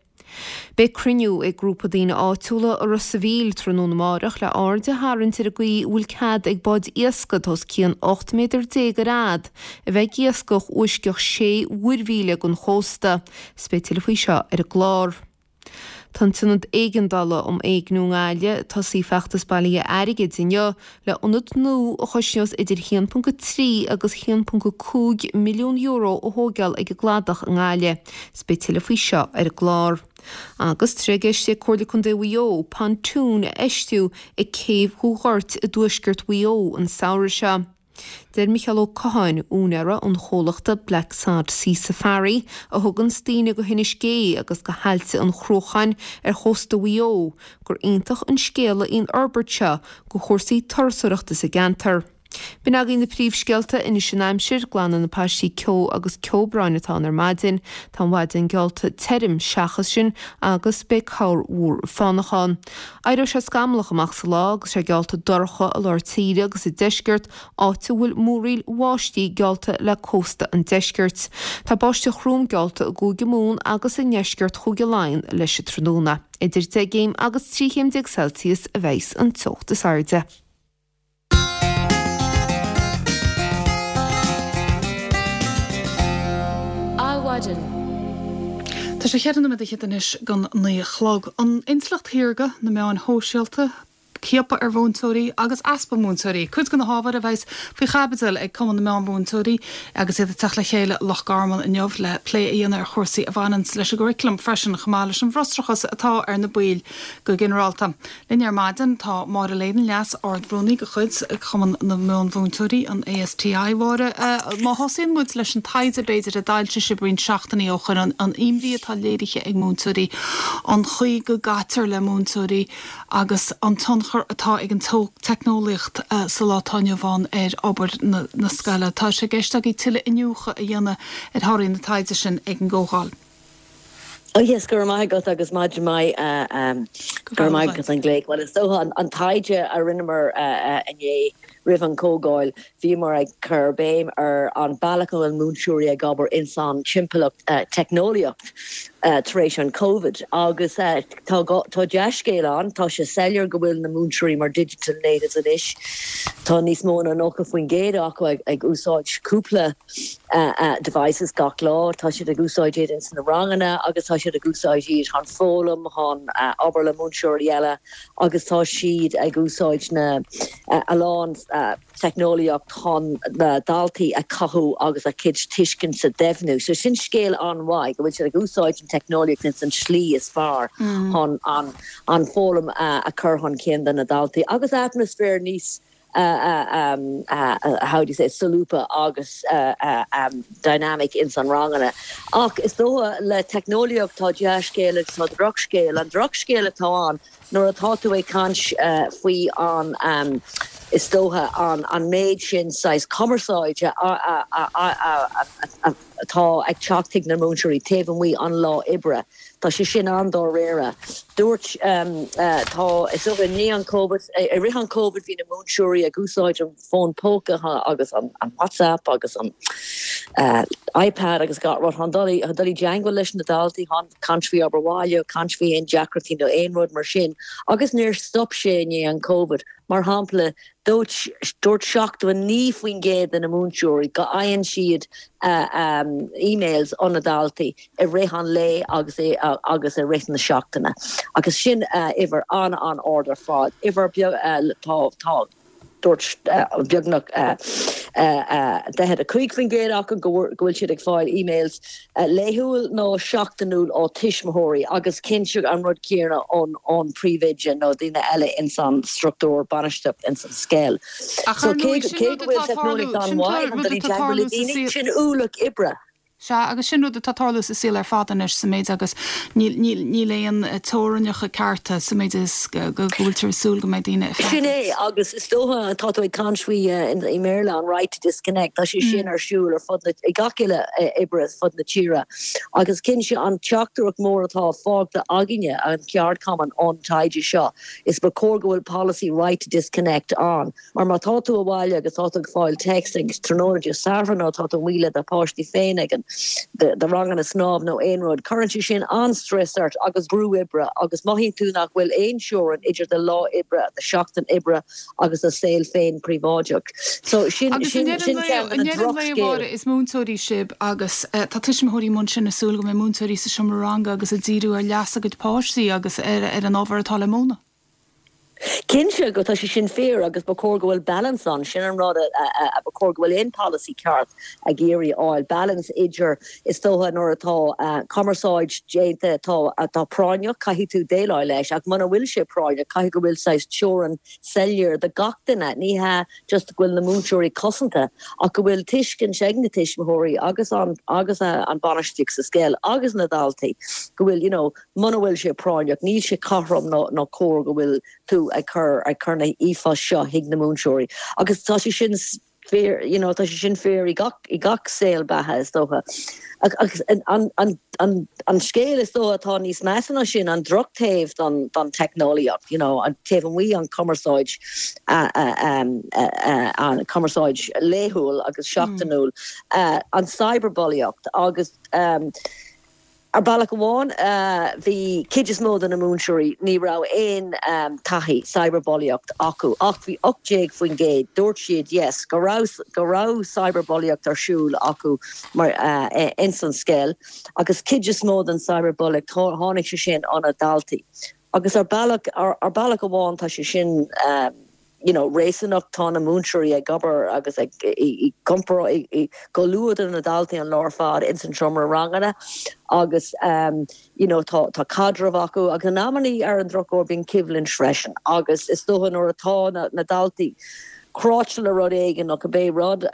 Beidh cruinniú ag grúpa daoine áitiúla i Ros a' Mhíl tráthnóna amáireach le aird a tharraingt ar an gcaoi a bhfuil cead ag báid iascaigh atá os cionn 18 méadar ar fhad a bheith ag iascach uaisceach sé mhuirmhíle den chósta. 'S beidh tuilleadh faoi seo ar an gclár. Tá an tIonad Éigeandála um Éigniú i nGaillimh ag tosaí feachtas bailithe airgid inniu le ionad nua a chosnós idir 1.3 agus 1.5 milliún euro a thóigeáil ag an gCladach i nGaillimh. 'S beidh tuilleadh faoi seo ar an gclár. Agus tá sé i gceist ag Comhairle Contae Mhaigh Eo pontún a fheistiú ag Céibh Dhúghoirt i dtuaisceart Mhaigh Eo an samhradh seo. Deir Micheál Ó Catháin, úinéara an chomhlachta Black Sod Sea Safari, a thuganns daoine go hInis Gé agus go hAillte an Chruacháin ar chósta Mhaigh Eo, gur iontach an scéala í an fhorbairt seo go chúrsaí turasóireachta sa gceantar. B'in agaibh na príomhscéalta, anois an aimsir, glanfaidh na paistí ceo agus ceobráin atá ann ar maidin. Tá an mhaidin geallta tirim seachas sin agus beidh corrmhúr fánach ann. Éireoidh sé scamallach amach sa lá agus sé geallta dorcha i lár tíre agus sa deisceart, áit a bhfuil múraíl bháistí geallta le cósta an deiscirt. Tá báisteach throm geallta i gCúige Mumhan agus i ndeisceart Chúige Laighean leis an tráthnóna. Idir 10 gcéim agus 13 chéim Celsius a bheas an teocht is airde. Adhmhaidin. Tá sé cheithre nóiméad fhichead anois don 9 a chlog. An intleacht shaorga, na meáin shóisialta, ciapadh ar mhúinteoirí agus easpa múinteoirí, cuid de na hábhair a bheas faoi chaibidil ag Cumann na Meán-Mhúinteoirí agus iad ag teacht le chéile i Loch Garman inniu le plé a dhéanamh ar chúrsaí a bhaineanns leis an gcuraclam freisin chomh maith leis an bhfrustrachas atá ar na baill go ginearálta. Linn ar maidin tá Máire Leyden, Leas Ard-Rúnaí de chuid Chumann na Meán-Mhúinteoirí, an ASTI. Mháire, má thosaíonn muid leis an taighde b'fhéidir a d'fhoilsigh sibh roinnt seachtainí ó shoin, an imní atá léirithe ag múinteoirí, an chaoi go gcaitear le múinteoirí agus an tionchar atá ag an teicneolaíocht sa lá atá inniu ann ar obair na scoile. Tá sé i gceist agaibh tuilleadh iniúchadh a dhéanamh ar thorthaí na taighde sin ag an gcomhdháil. Oh yes, go raibh maith agat agus maidin mhaith, go raibh maith agat as an glaoch. Bhuel, is dócha an taighde a rinneamar inné roimh an chomhdháil, bhíomar ag cur béim ar an bealach a bhfuil múinteoirí ag obair ins an timpeallacht teicneolaíocht tar éis an Covid agus tá tá dea-scéal ann, tá sé soiléir go bhfuil na múinteoirí mar digital natives anois, tá níos mó ná 90% acu ag úsáid cúpla devices gach lá. Tá siad ag úsáid iad ins na ranganna agus tá siad ag úsáid iad chun foghlaim, chun obair le múinteoirí eile agus tá siad ag úsáid na a lán teicneolaíocht chun na daltaí a chothú agus a gcuid tuiscint a dhoimhniú. So sin scéal an-mhaith go bhfuil siad ag úsáid an teicneolaíocht ins an slí is fearr chun an an foghlaim a chur chun cinn do na daltaí agus atmaisféar níos how do you say, solúbtha agus dynamic ins an ranganna. Ach is dócha le teicneolaíocht tá dea-scéal agus tá drochscéal. An drochscéal atá ann nuair atá tú ag caint faoi an is dócha an méid sin saghas cumarsáide atá ag teacht chuig na múinteoirí taobh amuigh an lá oibre. Tá sé sin an-dáiríre. Dúirt, tá, is dócha i ndiaidh an Covid, i rith an Covid bhí na múinteoirí ag úsáid an fón póca agus an WhatsApp agus an iPad agus gach rud chun dul i dteangmháil leis na daltaí, chun caint faoi obair bhaile, caint faoi aon deacrachtaí nó aon rud mar sin agus níor stop sé i ndiaidh an Covid. Mar shampla, Dúirt 79% de na múinteoirí go fhaigheann siad emails ó na daltaí i rith an lae agus agus i rith na seachtaine agus sin uimhir an-an-ard ar fad. Uimhir beag tá tá dúirt beagnach. 45% acu go bhfuil siad ag fáil emails laethúil nó seachtainiúil ó tuismitheoirí agus cinnte an rud céanna ón príomhoide nó daoine eile ins an struchtúr bainistíocht ins an scoil. Ach So ar cé ndóigh, sin cé rud go bhfuil atá ag tarlú, teicneolaíocht sin an-mhaith chun rud dul i atá ag dteagmháil tarlú le sa daoine, saol. sin ualach oibre. Sea, agus sin rud atá ag tarlú sa saol ar fad anois, sa méid agus níl, níl, níl aon teorainneacha cearta, sa méid is go, go bhfuiltear ag súil go mbeidh daoine ag Sin é, freagairt. agus is dócha, tá tú ag caint faoi i mBéarla, an right to disconnect, tá sé sin ar siúl ar fud na, ag gach uile oibrí ar fud na tíre. Agus cinnte, an teachtaireacht mór atá fágtha againne, an ceardchumann, ón taighde seo, is ba chóir go bhfuil polasaí right to disconnect ann. Mar má tá tú abhaile agus tá tú ag fáil text ag tráthnóna Dé Sathairn nó tá tú amuigh le do pháistí féin ag an do ranganna snámh nó aon rud, cuireann sé sin an-stress ort agus brú oibre agus mothaíonn tú nach bhfuil aon teorainn idir do lá oibre, do sheachtain oibre agus do saol féin príobháideach. So sin Agus i sin ndeireadh sin an lae, ceann de i na ndeireadh an lae, a drochscéal. Mháire, is múinteoirí sibh agus tá tuismitheoirí amuigh ansin ag súil go mbeidh múinteoirí sa seomra ranga agus ag díriú ar leas a gcuid páistí agus ar ar an ábhar atá le múineadh. Cinnte go tá sé sin fíor agus ba chóir go bhfuil balance ann, sin an rud a ba chóir go bhfuil aon polasaí ceart ag iarraidh a fháil, balance idir is dócha nuair atá cumarsáid déanta atá atá práinneach caithfidh tú déileáil leis ach muna bhfuil sé práinneach caithfidh go bhfuil saghas teorainn soiléir do gach duine, ní hea just go bhfuil na múinteoirí cosanta ach go bhfuil tuiscint ag na tuismitheoirí agus an agus an bainistíocht sa scoil agus na daltaí go bhfuil you know Muna bhfuil sé práinneach, níl sé cothrom ná cóir go bhfuil tú ag cur ag cur na ríomhphoist seo chuig na múinteoirí. Agus tá sé sin fíor, you know, tá sé sin fíor i gach i gach saol beatha is dócha. Agus an an an an scéal is dócha atá níos measa ná sin, an drochtaobh don don teicneolaíocht, you know, an taobh amuigh an cumarsáid an cumarsáid laethúil agus seachtainiúil, an cyberbulaíocht agus Ar bealach amháin, bhí cuid is mó de na múinteoirí, ní raibh aon taithí cyberbulaíocht acu ach bhí 18%, dúirt siad yes, go raibh go raibh cyberbulaíocht ar siúl acu mar ins an scoil agus cuid is mó den cyberbulaíocht tháinig sé sin ó na daltaí agus ar bealach ar bealach amháin tá sé sin you know réasúnach, tá na múinteoirí ag obair agus ag i gcomparáid i gcomhluadar na daltaí an lá ar fad ins an seomra ranganna agus you know tá tá caidreamh acu agus in amannaí ar an drochuair bíonn coimhlint freisin agus is dócha nuair atá na na daltaí cráite le rud éigin nó cibé rud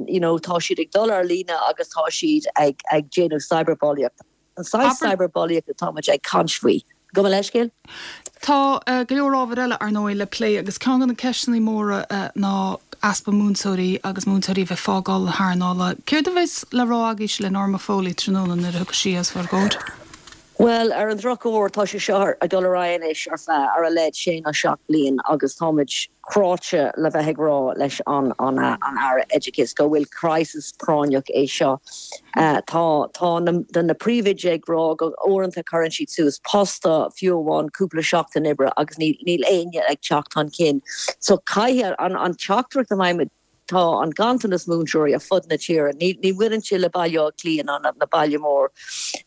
you know tá siad ag dul ar líne agus tá siad ag ag déanamh cyberbulaíocht. An saghas cyberbulaíocht atá muid ag caint faoi. Gabh mo leithscéal. Tá go leor ábhair eile, ar ndóigh, le plé agus ceann de na ceisteanna móra ná easpa múinteoirí agus múinteoirí a bheith ag fágáil na hearnála. Céard a bheas le rá agaibhse le Norma Foley tráthnóna nuair a thiocfaidh sí os bhur gcomhair? Bhuel, ar an drochuair, tá sé seo ag dul ar aghaidh anois ar feadh ar a laghad sé nó seacht bliain agus táimid cráite le bheith ag rá leis an an Aire Oideachais go bhfuil crisis práinneach é seo. Tá tá na na príomhoidí ag rá go uaireanta cuireann siad suas post fiú amháin cúpla seachtain oibre agus níl níl éinne ag teacht chun cinn. So caithfidh an an teachtaireacht a mbeidh Tá an ganntanas múinteoirí ar fud na tíre. Ní bhaineann sé le Baile Átha Cliath ná na baile mór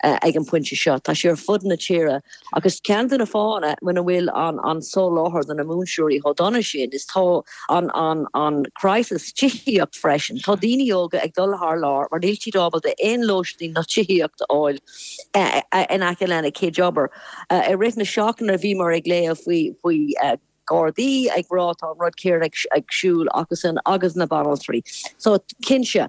ag an bpointe seo. Tá sé ar fud na tíre agus ceann de na fáthanna muna bhfuil an soláthar do na múinteoirí chomh dona sin is tá an an crisis tithíocht freisin. Tá daoine óga ag dul thar lear mar níl siad ábalta aon lóistín ná tithíocht a fháil in aice lena gcuid obair. I rith na seachtaine bhíomar ag léamh faoi faoi Gardaí ag rá tá an rud céanna ag siúl acusan agus na banaltraí. So cinnte,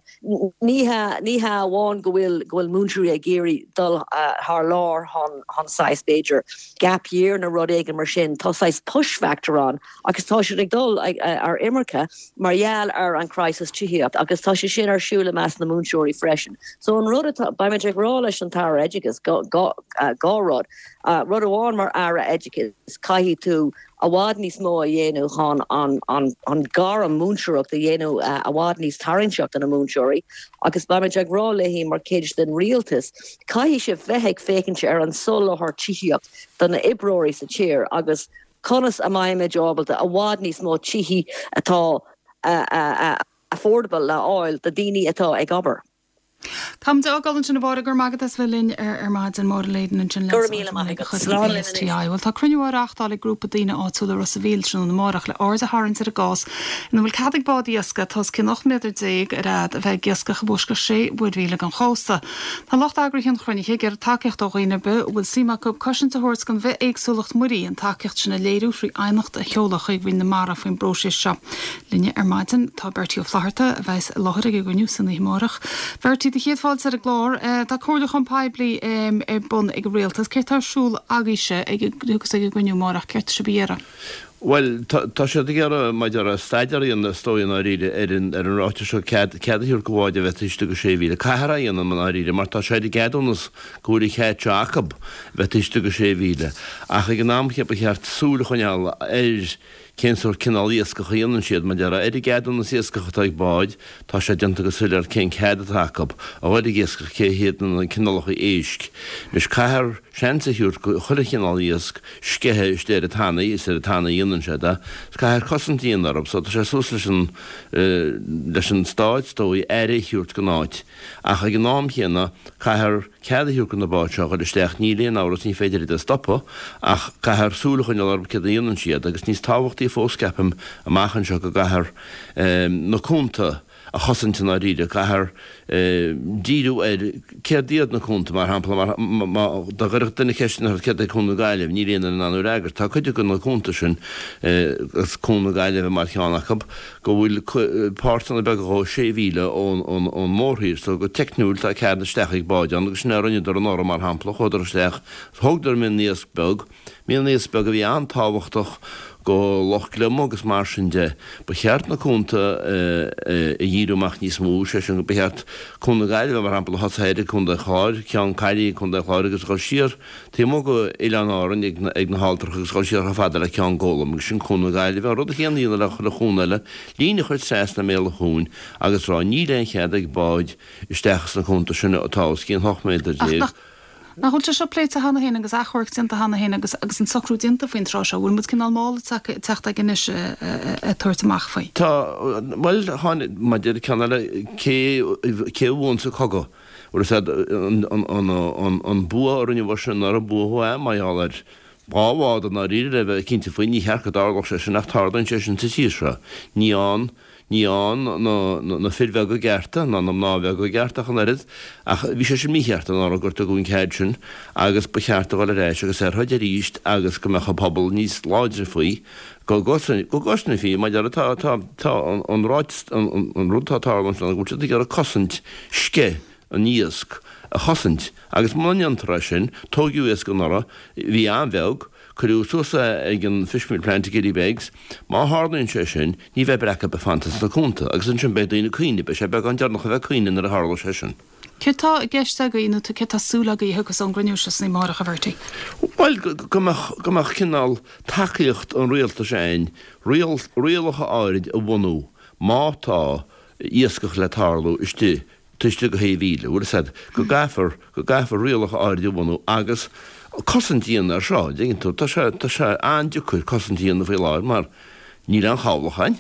ní hea, ní hea amháin go bhfuil, go bhfuil múinteoirí ag iarraidh dul thar lear chun, chun saghas b'fhéidir gap year nó rud éigin mar sin, tá saghas push factor ann agus tá siad ag dul ar imirce mar gheall ar an crisis tithíocht agus tá sé sin ar siúl i measc na múinteoirí freisin. So an rud atá, beimid ag rá leis an tAire Oideachais, dhá rud. Rud amháin mar Aire Oideachais, caithfidh tú i bhfad níos mó a dhéanamh chun an gairm múinteoireacht a dhéanamh i bhfad níos tarraingteach do na múinteoirí agus beimid ag rá léi mar chuid den rialtas, caithfidh sibh bheith ag féachaint ar an soláthar tithíocht do na oibreoirí sa tír agus conas a mbeimid ábalta i bhfad níos mó tithí atá affordable le fháil do daoine atá ag obair. Táimid ag fágáil ansin a Mháire, go raibh maith agat as bheith linn ar maidin. Máire Leyden ansin Go raibh míle maith agat. Slán libh anois. STI. Bhuel tá cruinniú á reáchtáil ag grúpa daoine áitiúla i Ros a' Mhíl tráthnóna amárach le aird a tharraingt ar an gcás ina bhfuil cead ag bád iascaigh atá os cionn 18 méadar ar fhad a bheith ag iascach i bhfoisceacht sé mhuirmhíle den chósta. Tá lucht eagraithe an chruinnithe ag iarraidh tacaíocht ó dhaoine ar bith a bhfuil suim acu cosaint a thabhairt don bhithéagsúlacht mhuirí, an tacaíocht sin a léiriú thrí aighneacht a sheoladh chuig Roinn na Mara faoin bpróiseas seo. Linne ar maidin tá Bertie Ó Flatharta, a bheas i láthair ag an gcruinniú san oíche amárach. Bertie, do chéad fáilte ar an gclár. Tá comhairliúchán poiblí ar bun ag an Rialtas. Céard tá ar siúl agaibhse ag agus ag an gcruinniú amárach? Céard tá sibh a iarraidh? Bhuel, tá siad ag iarraidh, maidir le staidéar a dhéanamh, is dóigh, i ndáiríre, ar an ar an ráiteas seo cead cead a thabhairt do bháid a bheith taobh istigh de sé mhíle. Caithfear é a dhéanamh, i ndáiríre, mar tá sé ar an gceadúnas go bhfuil an cead seo acu bheith taobh istigh de sé mhíle. Ach ag an am chéanna ba cheart súil a choinneáil ar Cén sórt cineál iascach a dhéanann siad? Mar a déarfá, ar an gceadúnas iascach atá ag báid, tá sé déanta go soiléir cén cead atá acu a dhul ag iascach, cé hiad na cineálacha éisc. Anois, caithfear seans a thabhairt go chuile chineál iasc sceitheadh istigh ar an tanaí, is ar an tanaí a dhéanann siad é, is caithfear cosaint a dhéanamh orthu, so tá sé suas leis an, leis an Stát, is dóigh, aire a thabhairt don áit. Ach ag an am chéanna, caithfear. Cead a thabhairt do na báid seo a dhul isteach, níl aon amhras, ní féidir iad a stopadh, ach caithfear súil a choinneáil orthu céard a dhéanann siad, agus níos tábhachtaí fós, ceapaim, amach anseo go gcaithfear na cuanta a chosaint i ndáiríre, caithfear díriú ar céard iad na cuanta, mar shampla, mar má dá gcuirfeadh duine ceist ort céard é Cuan na Gaillimhe, níl aon duine in ann thú a fhreagairt. Tá cuid de na cuanta sin, agus Cuan na Gaillimhe mar cheann acu, go bhfuil páirteanna beaga dhó sé mhíle ón mórthír so go teicniúil tá cead isteach ag báid ann agus sin a rinneadar anuraidh mar shampla, chuadar isteach, thógadar mion-iasc beag, mion-iasc beag a bhí an-tábhachtach go Loch Gliom agus mar sin de. Ba cheart na cuanta a dhíriú amach níos mó, sé sin ba cheart Cuan na Gaillimhe mar shampla a thosú ag Contae an Chláir, Ceann Caillí i gContae an Chláir agus a dhul siar Taobh amuigh d'Oileáin Árann ag na hAlltracha agus dhul siar chomh fada le Ceann Gólaim agus sin Cuan na Gaillimhe, an rud céanna a dhéanamh le chuile chuan eile, líne a chur trasna i mbéal an chuain agus rá níl aon chead ag báid isteach sna cuanta sin atá os cionn 18 méadar. Ach nach bhfuil sé seo pléite cheana féin agus achomharc déanta cheana féin agus agus an socrú déanta faoin tráth seo? Bhfuil muid cineál mall ag teacht aige anois ag tabhairt amach faoi? Tá, bhuel, tháinig, maidir le ceann eile, cé cé a bhuann sa cogadh? Bhuel is ea an bua a rinne Russia anuraidh, bua é mar gheall ar dhá bhád i ndáiríre le bheith cinnte faoi, ní cheart go dtarlódh sé sin ach tarlaíonn sé sin sa tír seo. Ní ann, ní ann na fir bheaga gcearta ná na mná bheaga gcearta ach an oiread ach bhí sé sin mícheart anuraidh gur tugadh an cead sin agus ba cheart a dhul ar ais agus ar throid arís agus go mbeadh an pobal níos láidre faoi go gcosnófaí mar a déarfá tá tá an ráiteas an rud atá ag tarlú anseo ná go bhfuil siad ag iarraidh cosaint sceith an iasc a chosaint agus muna ndéantar é sin tóigeadh iasc anuraidh bhí an-bheag cuireadh suas é ag an fishmeal plant i Killybegs má tharlaíonn sé sin ní bheidh breac ar bith fanta sna cuanta agus ansin beidh daoine ag caoineadh beidh sé beagán deireanach a bheith ag caoineadh nuair a tharlóidh sé sin. Céard tá i gceist agaibh nó céard tá súil agaibh a thiocfas ón gcruinniú seo san oíche amárach, a Bhertie? Bhuel, go mbeadh, go mbeadh cineál tacaíocht an rialtais ann, riail, rialacha áirid a bhunú má tá iascach le tarlú istigh, taobh istigh de shé mhíle, bhfuil fhios a'd, go gcaithfear, go gcaithfear rialacha áirid a bhunú agus cosaint a dhéanamh ar seo, an dtuigeann tú, tá sé, tá sé an-deacair cosaint a dhéanamh faoi láthair mar níl aon chabhlach ann.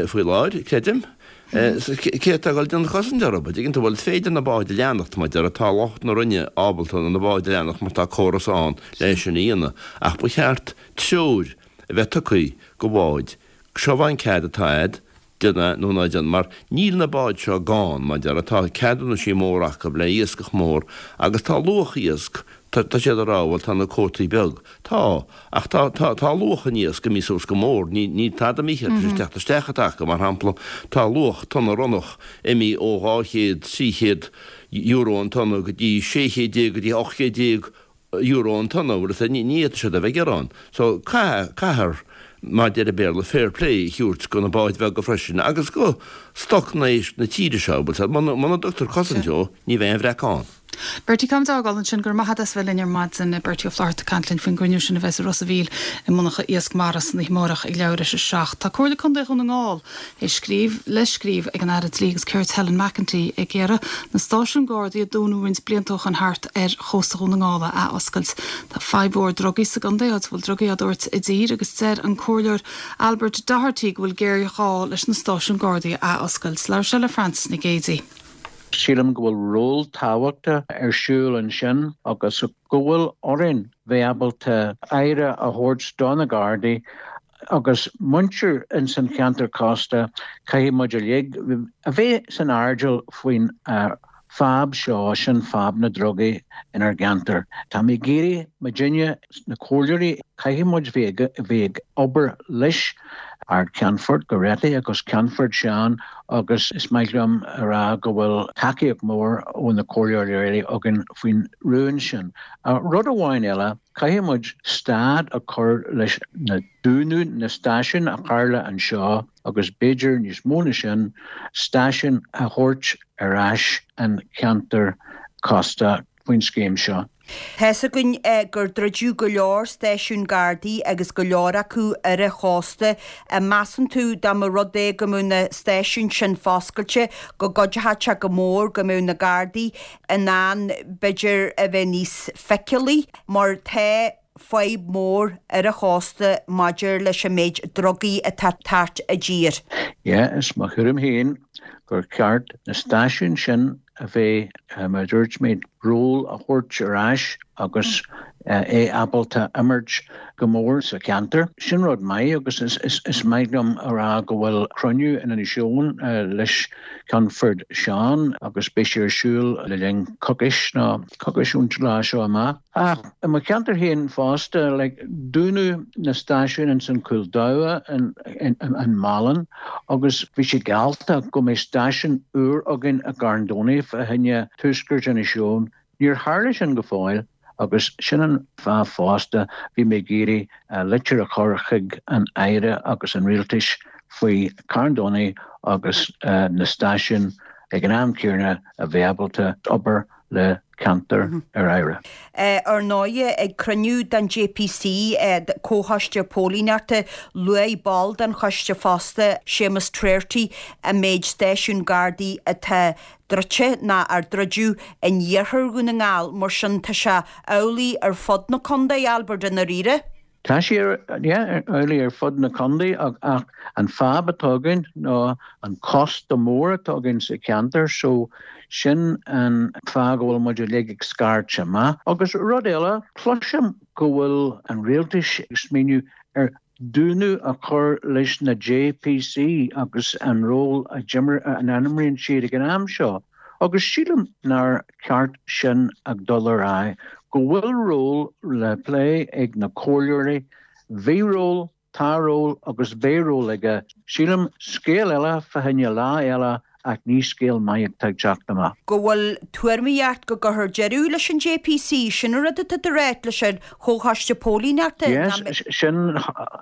faoi láthair, creidim. Cé atá ag dul déanamh cosaint orthu? An dtuigeann tú, bhuel, is féidir na báid a leanacht, mar a déarfá, tá lucht na Roinne ábalta na báid a leanacht mar tá córas ann le sin a dhéanamh. Ach ba cheart treoir a bheith tugtha go bháid, seo an cead atá a'd, déan é nó ná déan, mar níl na báid seo gann, mar a déarfá, tá ceadúnaisí móra acu le iascach mór agus tá luach iasc, tá siad ag rá, bhuel, tá na cuótaí beag. Tá, ach tá, tá, tá luach an iasc imithe suas go mór, ní, ní tada mícheart tar éis teacht isteach atá acu, mar shampla, tá luach tonna ronnach imithe ó 200, 300 euro an tonna go dtí 1600 go dtí 1800 euro an tonna, bhfuil a fhios a'd, ní, ní fhéadfaidh siad a bheith ag gearán. So, caith, caithfear, mar deir an Béarla, fair play a thabhairt go na báid bheaga freisin agus go stoc na éisc na tíre seo, bhfuil a fhios a'd, muna, muna dtugtar cosaint dó, ní bheidh aon bhreac ann. Bertie, Táimid á fhágáil ansin. Go raibh maith agat as bheith linn ar maidin. Bertie Ó Flatharta ag caint linn faoin gcruinniú sin a bheas i Ros a' Mhíl i monarcha Iasc Mara san oíche amárach ag leathuair théis a 7. Tá Comhairle Contae Dhún na nGall ag scríobh le scríobh ag an Aire Dlí agus Cirt Helen McEntee ag iarraidh na stáisiúin Gardaí a dúnadh roinnt blianta ó shoin thart ar chósta Dhún na nGall a athoscailt. Tá fadhb mhór drugaí sa gcontae áit a bhfuil drugaí á dtabhairt i dtír agus deir an Comhairleoir Albert Doherty go bhfuil géarghá leis na stáisiúin Gardaí a athoscailt. Labhair sé le Frances Nic Géadaigh. Sílim go bhfuil ról tábhachtach ar siúl ansin agus go bhfuil orainn bheith ábalta aire a thabhairt do na Gardaí agus muintir ins an cheantar cósta, caithfidh muid uilig a bheith san airdeall faoin fadhb seo, sin fadhb na drugaí inár gceantar. Tá mé ag iarraidh muidinne, na comhairleoirí, caithfidh muid bheith ag obair leis Ard-Cheannfort Goretti agus Ceannfort Seán agus is maith liom a rá go bhfuil tacaíocht mhór ó na comhairleoirí eile againn faoin rún sin. Rud amháin eile, caithfidh muid stad a chur leis na dúnadh na stáisiún a tharla anseo agus b'fhéidir níos mó na sin, stáisiún a thabhairt ar ais an cheantar cósta faoin scéim seo. Tá's againn gur druideadh go leor stáisiún Gardaí agus go leor acu ar an chósta. An measann tú dá mba rud é go mbeadh na stáisiúin sin foscailte go gcuideochadh sé go mór go mbeadh na Gardaí in ann b'fhéidir a bheith níos feiceálaí mar tá fadhb mhór ar an chósta maidir leis an méid drugaí atá ag teacht i dtír. Yeah, is mo thuairim féin gur ceart na stáisiúin sin a bheith, mar a dúirt mé, ról a thabhairt ar ais agus é ábalta imirt go mór sa cheantar. Sin rud maith agus is maith liom a rá go bhfuil cruinniú in Inis Eoghain leis Ceannfort Seán agus beidh sé ar siúl le linn coicís nó coicís ón lá seo amach. Ach i mo cheantar féin fosta, like, dúnadh na stáisiúin ins an Cúl Damh in Málainn agus bhí sé geallta go mbeidh stáisiún úr againn i gCarn Domhnach fá choinne tuaisceart Inis Eoghain. Níor tharla sin go fóill agus sin an fáth fosta bhí mé ag iarraidh litir a chur chuig an Aire agus an Rialtais faoi Carn Domhnach agus na stáisiúin ag an am céanna a bheith ábalta obair le ceantar ar aire. Ar ndóigh, ag cruinniú den JPC, Comhchoiste Póilíneachta, luaigh ball den choiste fosta, Séamus Trarty, an méid stáisiún Gardaí atá druidte nó ar druideadh in iarthar Dhún na nGall. Mar sin, tá sé amhlaidh ar fud na contae, Albert, i ndáiríre. Tá sé yeah, amhlaidh ar fud na contae ach an fadhb atá againn ná an cósta mór atá againn sa cheantar so sin an fáth go bhfuil muid uilig ag scairteadh amach. Agus rud eile, cloisim go bhfuil an rialtais ag smaoineamh ar dúnadh a chur leis na JPC agus an ról a d'imir, a n-imríonn siad ag an am seo. Agus sílim nár cheart sin ag dul ar aghaidh, go bhfuil ról le plé ag na comhairleoirí, bhí ról, tá ról agus beidh ról aige. Sílim, scéal eile fá choinne lá eile ach ní scéal maith atá ag teacht amach. Go bhfuil tuairimíocht go gcuirfear deireadh leis an JPC, sin an rud atá tú a ráit leis an Chomhchoiste Póilíneachta? Yes, sin,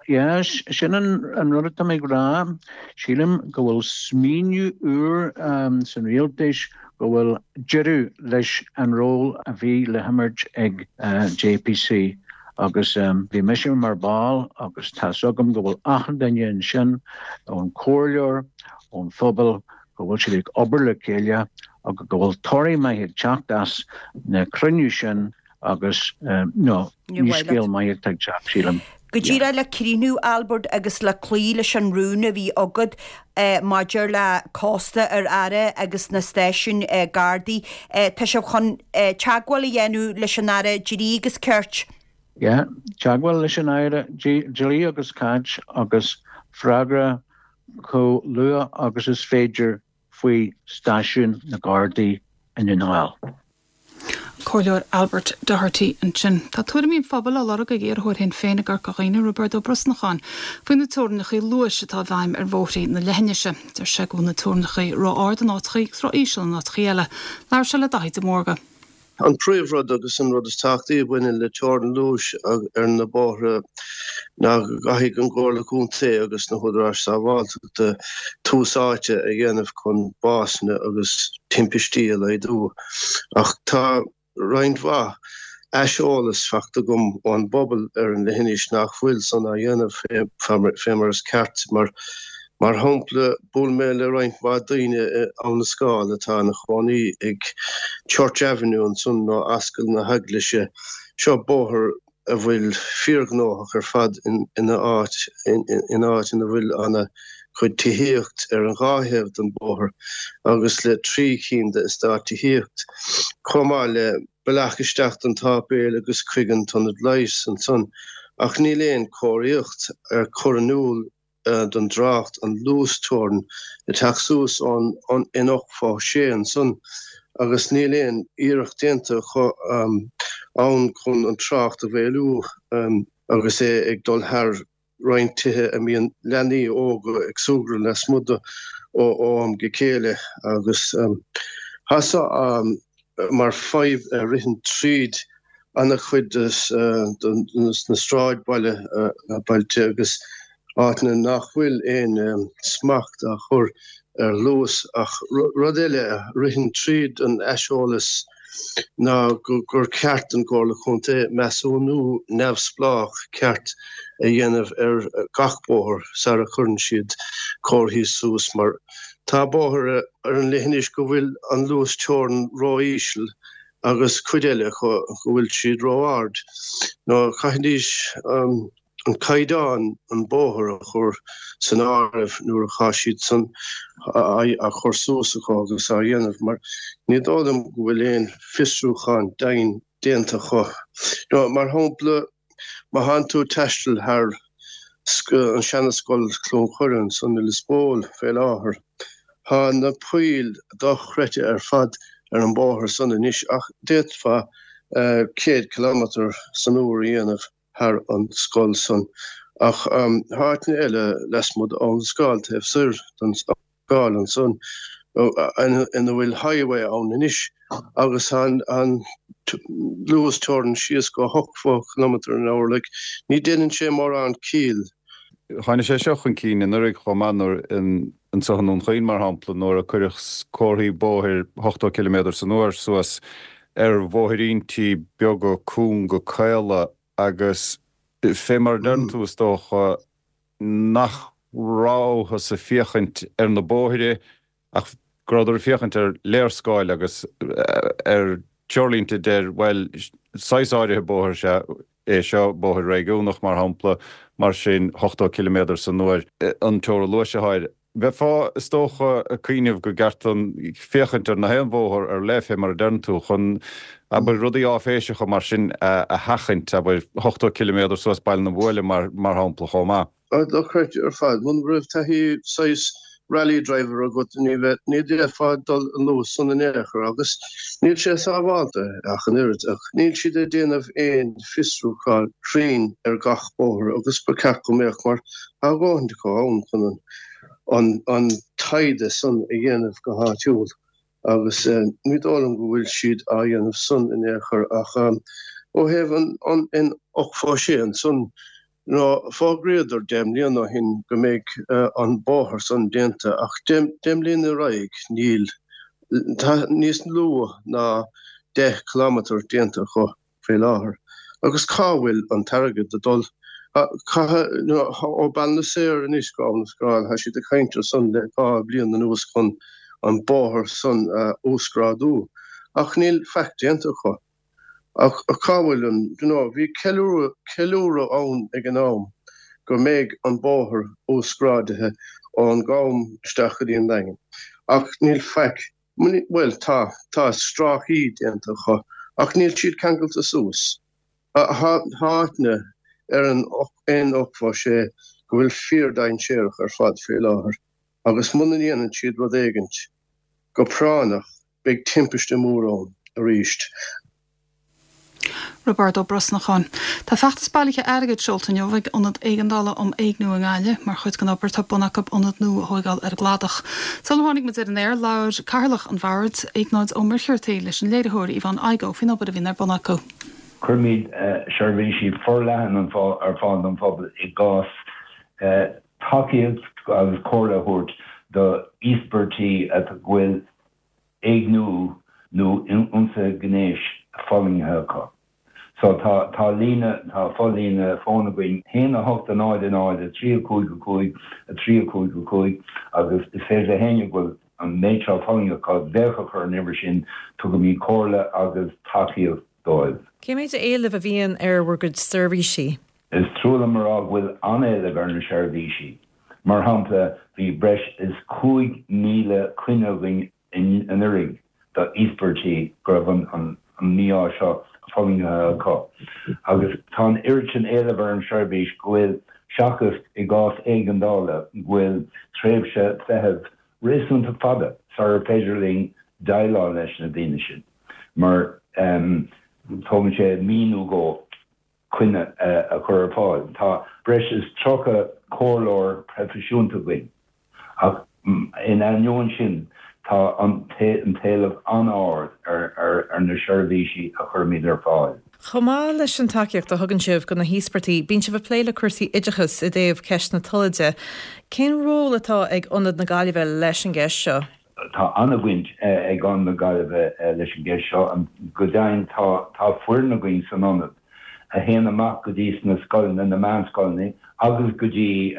yes, sin an rud atá mé ag rá. Sílim go bhfuil smaoineamh úr san rialtas go bhfuil deireadh leis an ról a bhí le himirt ag JPC agus bhí mise mar ball agus tá's agam go bhfuil achan duine ansin, ón comhairleoir, ón phobal, go bhfuil siad ag obair le chéile agus go bhfuil toradh maith ag teacht as na cruinniú sin Agus no, ní scéal maith atá ag teacht, sílim. Go díreach le críochnú, Albert, agus le cloí leis an rún a bhí agat maidir le cósta ar aire agus na stáisiúin Gardaí, tá sibh chun teagmháil a dhéanamh leis an Aire Dlí agus Cirt? Yeah, teagmháil leis an Aire Dlí agus Cirt agus freagra chomh luath agus is féidir faoi stáisiún na Gardaí i nDún na nGall. An Comhairleoir Albert Doherty ansin. Tá tuairimí an phobail á lorg ag iarrthóir Shinn Féin i gCorca Dhuibhne, Roibeard Ó Brosnacháin, faoi na teorainneacha luais atá i bhfeidhm ar bhóithrí na leithinise. Deir sé go bhfuil na teorainneacha ró-ard in áiteachaí agus ró-íseal in áiteachaí eile. Labhair sé le Daithí de Mórdha. An príomhrud agus an rud is tábhachtaí a bhaineann le teorainn luais ar na bóithre ná go gcaithfidh an Chomhairle Contae agus na húdaráis sábháilteachta tús áite a dhéanamh chun básanna agus timpistí a laghdú. Ach tá roinnt mhaith aiseolas faighte agam ón bpobal ar an leithinis nach bhfuil san á dhéanamh fé mar is ceart. Mar shampla, bhuail mé le roinnt mhaith daoine i Abha na Scáil atá ina chónaí ag Church Avenue ansan nó Ascaill na hEaglaise. Seo bóthar a bhfuil fíorghnóthach ar fad ina áit ina áit ina bhfuil ana. chuid tithíocht ar an dhá thaobh den bhóthar agus le 3 cinn de eastáit tithíocht, chomh maith le bealach isteach don tsáipéal agus chuig an t-ionad leighis ansan, ach níl aon chomharthaíocht ar chur in iúl don dtrácht an luas teorann ag teacht suas ón N86 ansan agus níl aon iarracht déanta acu ann chun an trácht a mhaolú agus é ag dul thar roinnt tithe a mbíonn leanaí óga ag súgradh lasmuigh de ó am go chéile agus tá seo mar fadhb a ritheann tríd an-chuid de na sráidbhaile, bailte agus áiteanna nach bhfuil aon smacht á chur ar luas. Ach rud eile a ritheann tríd an aiseolas ná gur ceart don Chomhairle Contae measúnú neamhspleách ceart a dhéanamh ar gach bóthar sara chuireann siad comharthaí suas mar tá bóithre ar an leithinis go bhfuil an luas teorann ró-íseal agus cuid eile acu go bhfuil siad ró-ard. Nó chaithfidís an caighdeán an bóthar a chur san áireamh nuair atá siad san á chur suas acu agus á dhéanamh mar ní dóigh liom go bhfuil aon fiosrúchán deimhin déanta acu. Nó mar shampla Má thánn tú ag taisteal thar an seana-scoil Cluain Choire ansan i Lios Póil fé láthair, tá na poill dochreidte ar fad ar an bóthar san anois ach d'fhéadfá 100 kilometre san uair a dhéanamh thar an scoil san. Ach tá áiteanna eile lasmuigh d'Abhainn an Scáil taobh soir den Scáil ansan ina bhfuil highway ann anois agus tá an luas teorann síos go 80 kilometre an hour like ní déanann sé mórán ciall. Tháinig sé seo chun cinn anuraidh chomh maith nuair anseo i nDún Chaoin mar shampla nuair a cuireadh comharthaí bóthair 80 ciliméadar san uair suas ar bhóithríntí beaga cúnga caola agus fé mar a deireann tú is dócha nach rabhthas ag féachaint ar na bóithre ach go rabhadar ag féachaint ar léarscáil agus ar treoirlínte a deir, bhuel, saghas áirithe bóthair is ea é seo, bóthar réigiúnach mar shampla, mar sin 80 ciliméadar san uair an teorainn luais atá air. Bheifeá, is dócha, ag cuimhneamh go gceart féachaint ar na haon bhóthar ar leith, fé mar a deireann tú, chun, abair, rudaí áiféiseacha mar sin a sheachaint, abair, 80 ciliméadar suas Baile na Buaile, mar shampla, chomh maith. Dochreidte ar fad. Muna raibh taithí saghas rally driver agat, ní bheadh, ní d'fhéadfá dul an luas san in aon chor agus níl sé sábhálta ach an oiread. Ach níl siad ag déanamh aon fiosrúchán cruinn ar gach bóthar agus ba cheart go mbeadh mar Tá a dhóthaint acu ann chun an an taighde san a dhéanamh go háitiúil agus ní dóigh liom go bhfuil siad á dhéanamh san in aon chor ach ó thaobh an an N86 ansan nó fógraíodar 10 mbliana ó shin go mbeidh an bóthar san déanta ach 10 mbliana ar aghaidh níl tá níos lú ná 10 kilometre déanta acu. faoi láthair. Agus cá bhfuil an t-airgead ag dul? Ó Ballynasaor anois go Abhainn an Scáil, tá siad ag caint ar san le 2 bliain anuas chun an bóthar san a uasghrádú, ach níl faic déanta acu. Ach cá bhfuil an, you know, bhí ceiliúradh, ceiliúradh ann ag an am go mbeidh an bóthar uasghrádaithe ón gCam isteach go dtí an Daingean, ach níl faic Bhuel, tá. Tá stráicí déanta acu, ach níl siad ceangailte suas. Tá áiteanna ar an N86 go bhfuil fíor-dainséarach ar fad faoi láthair agus muna ndéanann siad rud éigint go práinneach beidh timpiste mór ann arís. Roibeárd Ó Brosnacháin. Tá feachtas bailithe airgid seolta inniu ag Ionad Éigeandála um Éigniú i nGaillimh mar chuid den obair atá ar bun acu ionad nua a thóigeáil ar an gCladach. Sular tháinig muid ar an aer, labhair Cathaoirleach an Bhoird, Iognáid Ó Muircheartaigh, leis an léiritheoir Yvonne Igoe faoin obair a bhíonn ar bun acu. Cuirimid seirbhísí forleathan ar fáil don phobal i gcás tacaíocht agus comhairle a thabhairt do íospartaigh a bhfuil éigniú nó ionsaithe gnéis fulaingthe acu. So tá, tá líne, tá fo-líne fóin againn, 1 8 0 0 3 5 5 3 5 5 agus is féidir le héinne go bhfuil an méid seo fulaingthe acu glaoch a chur ar an uimhir sin, tugaimid comhairle agus tacaíocht dóibh. Cé méid éilimh a bhíonn ar bhur gcuid seirbhísí? Is trua liom a rá go bhfuil an-éileamh ar na seirbhísí. Mar shampla, bhí breis is 5,000 coinne againn anuraidh do íospartaigh go raibh an mí-ádh seo fulaingthe acu. Agus tá an oiread sin éileamh ar an seirbhís go bhfuil, seachas i gcás éigeandála, go bhfuil tréimhse feithimh réasúnta fada sarar féidir linn déileáil leis na daoine sin mar tógann sé mí nó dhó coinne a chur ar fáil. Tá breis is 30 comhairleoir proifisiúnta againn ach in ainneoin sin tá an t-éileamh an-ard ar na seirbhísí a chuirimid ar fáil. Chomh maith leis an tacaíocht a thugann sibh do na híospartaigh, bíonn sibh ag plé le cúrsaí oideachais i dtaobh ceist na tola de. Cén ról atá ag Ionad na Gaillimhe leis an gceist seo? Tá an-bhaint ag Ionad na Gaillimhe leis an gceist seo. Go deimhin, tá foireann againn san Ionad a théann amach go dtí sna scoileanna, na meánscoileanna agus go dtí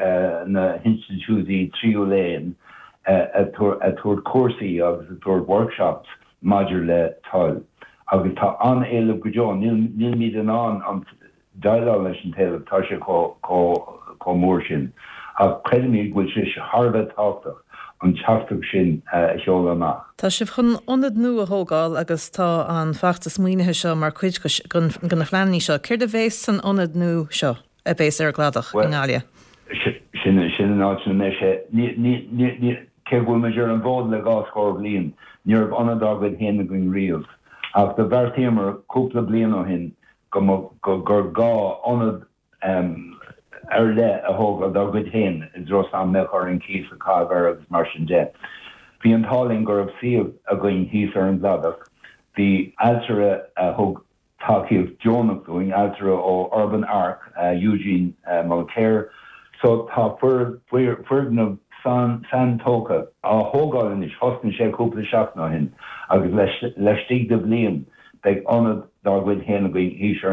na hinstitiúidí tríú léinn ag tabhairt cúrsaí agus ag tabhairt workshops maidir le toil agus tá an-éileamh go deo. Nílimid in ann déileáil leis an t-éileamh, tá sé chomh mór sin. Ach creidimid go bhfuil sé thar a bheith tábhachtach an teachtaireacht sin a sheoladh amach. Tá sibh chun ionad nua a thógáil agus tá an feachtas maoinithe seo mar chuid de na pleananna seo. Céard a bheas san ionad nua seo? a bheas ar an gCladach i nGaillimh. Sin an áit ina mbeidh sé. Cé go bhfuil muid ar an bhfód le dhá scór bliain, ní raibh ionad dár gcuid féin againn riamh. Ach do bheartaíomar cúpla bliain ó shin go gur gá ionad ar leith a thógáil dár gcuid féin i dtreo is ná mbeadh orainn cíos a chaitheamh air agus mar sin de. Bhí an t-ádh linn go raibh suíomh againn thíos ar an gCladach. Bhí ailtire a thug tacaíocht deonach dúinn, ailtire ó Urban Arc, Eugene Mulcair. So tá foirgneamh saintógtha á thógáil anois, thosnaigh sé cúpla seachtain ó shin agus laistigh de bhliain beidh ionad dár gcuid féin againn thíos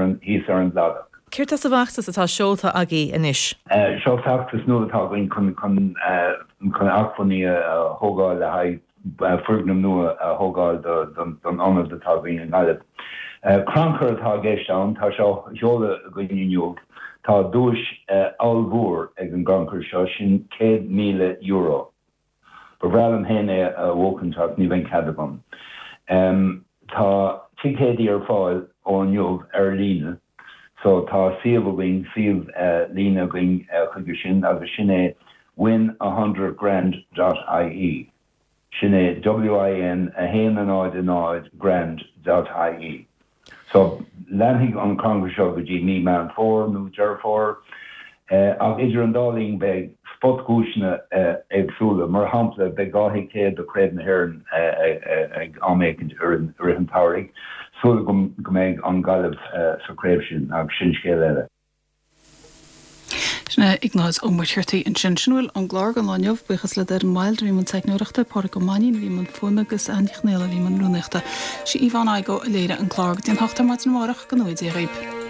ar an gCladach. Céard atá sa bhfeachtas atá seolta agaibh anois? Seo feachtas nua atá againn chun acmhainní a thógáil le haghaidh foirgneamh nua a thógáil don ionad atá againn i nGaillimh. Crannchur atá i gceist ann, tá sé á sheoladh againn inniu. Tá duais ollmhór ag an gcrannchur seo, sin €100,000. Ba bhreá liom féin é a bhuachaint ach ní bheidh cead agam. Tá ticéidí ar fáil ó inniu ar líne so tá suíomh againn, suíomh líne againn chuige sin agus sin é win a hundred grand dot ie. Sin é WIN 1 0 0 grand dot ie. So, leanfaidh an crannchur seo go dtí mí Meán Fómhair nó Deireadh Fómhair. Ach idir an dá linn beidh spotdhuaiseanna éagsúla. Mar shampla, beidh 2 thicéad do Chraobh na hÉireann ag am éicint i rith an tsamhraidh. Súil agam go mbeidh an Ghaillimh sa chraobh sin, ach sin scéal eile. Sin é Iognáid Ó Muircheartaigh ansin. Sin a bhfuil ón gclár don lá inniu. Buíochas le Doireann Wilde a bhí i mbun teicneoireachta, Pádraig Ó Mainnín a bhí i mbun fuaime agus Anne Nic Chonfhaola a bhí i mbun rúnaíochta. Sí Yvonne Igoe a léirigh an clár. Go dtí an hocht ar maidin amárach, go ngnóthaí Dia dhaoib.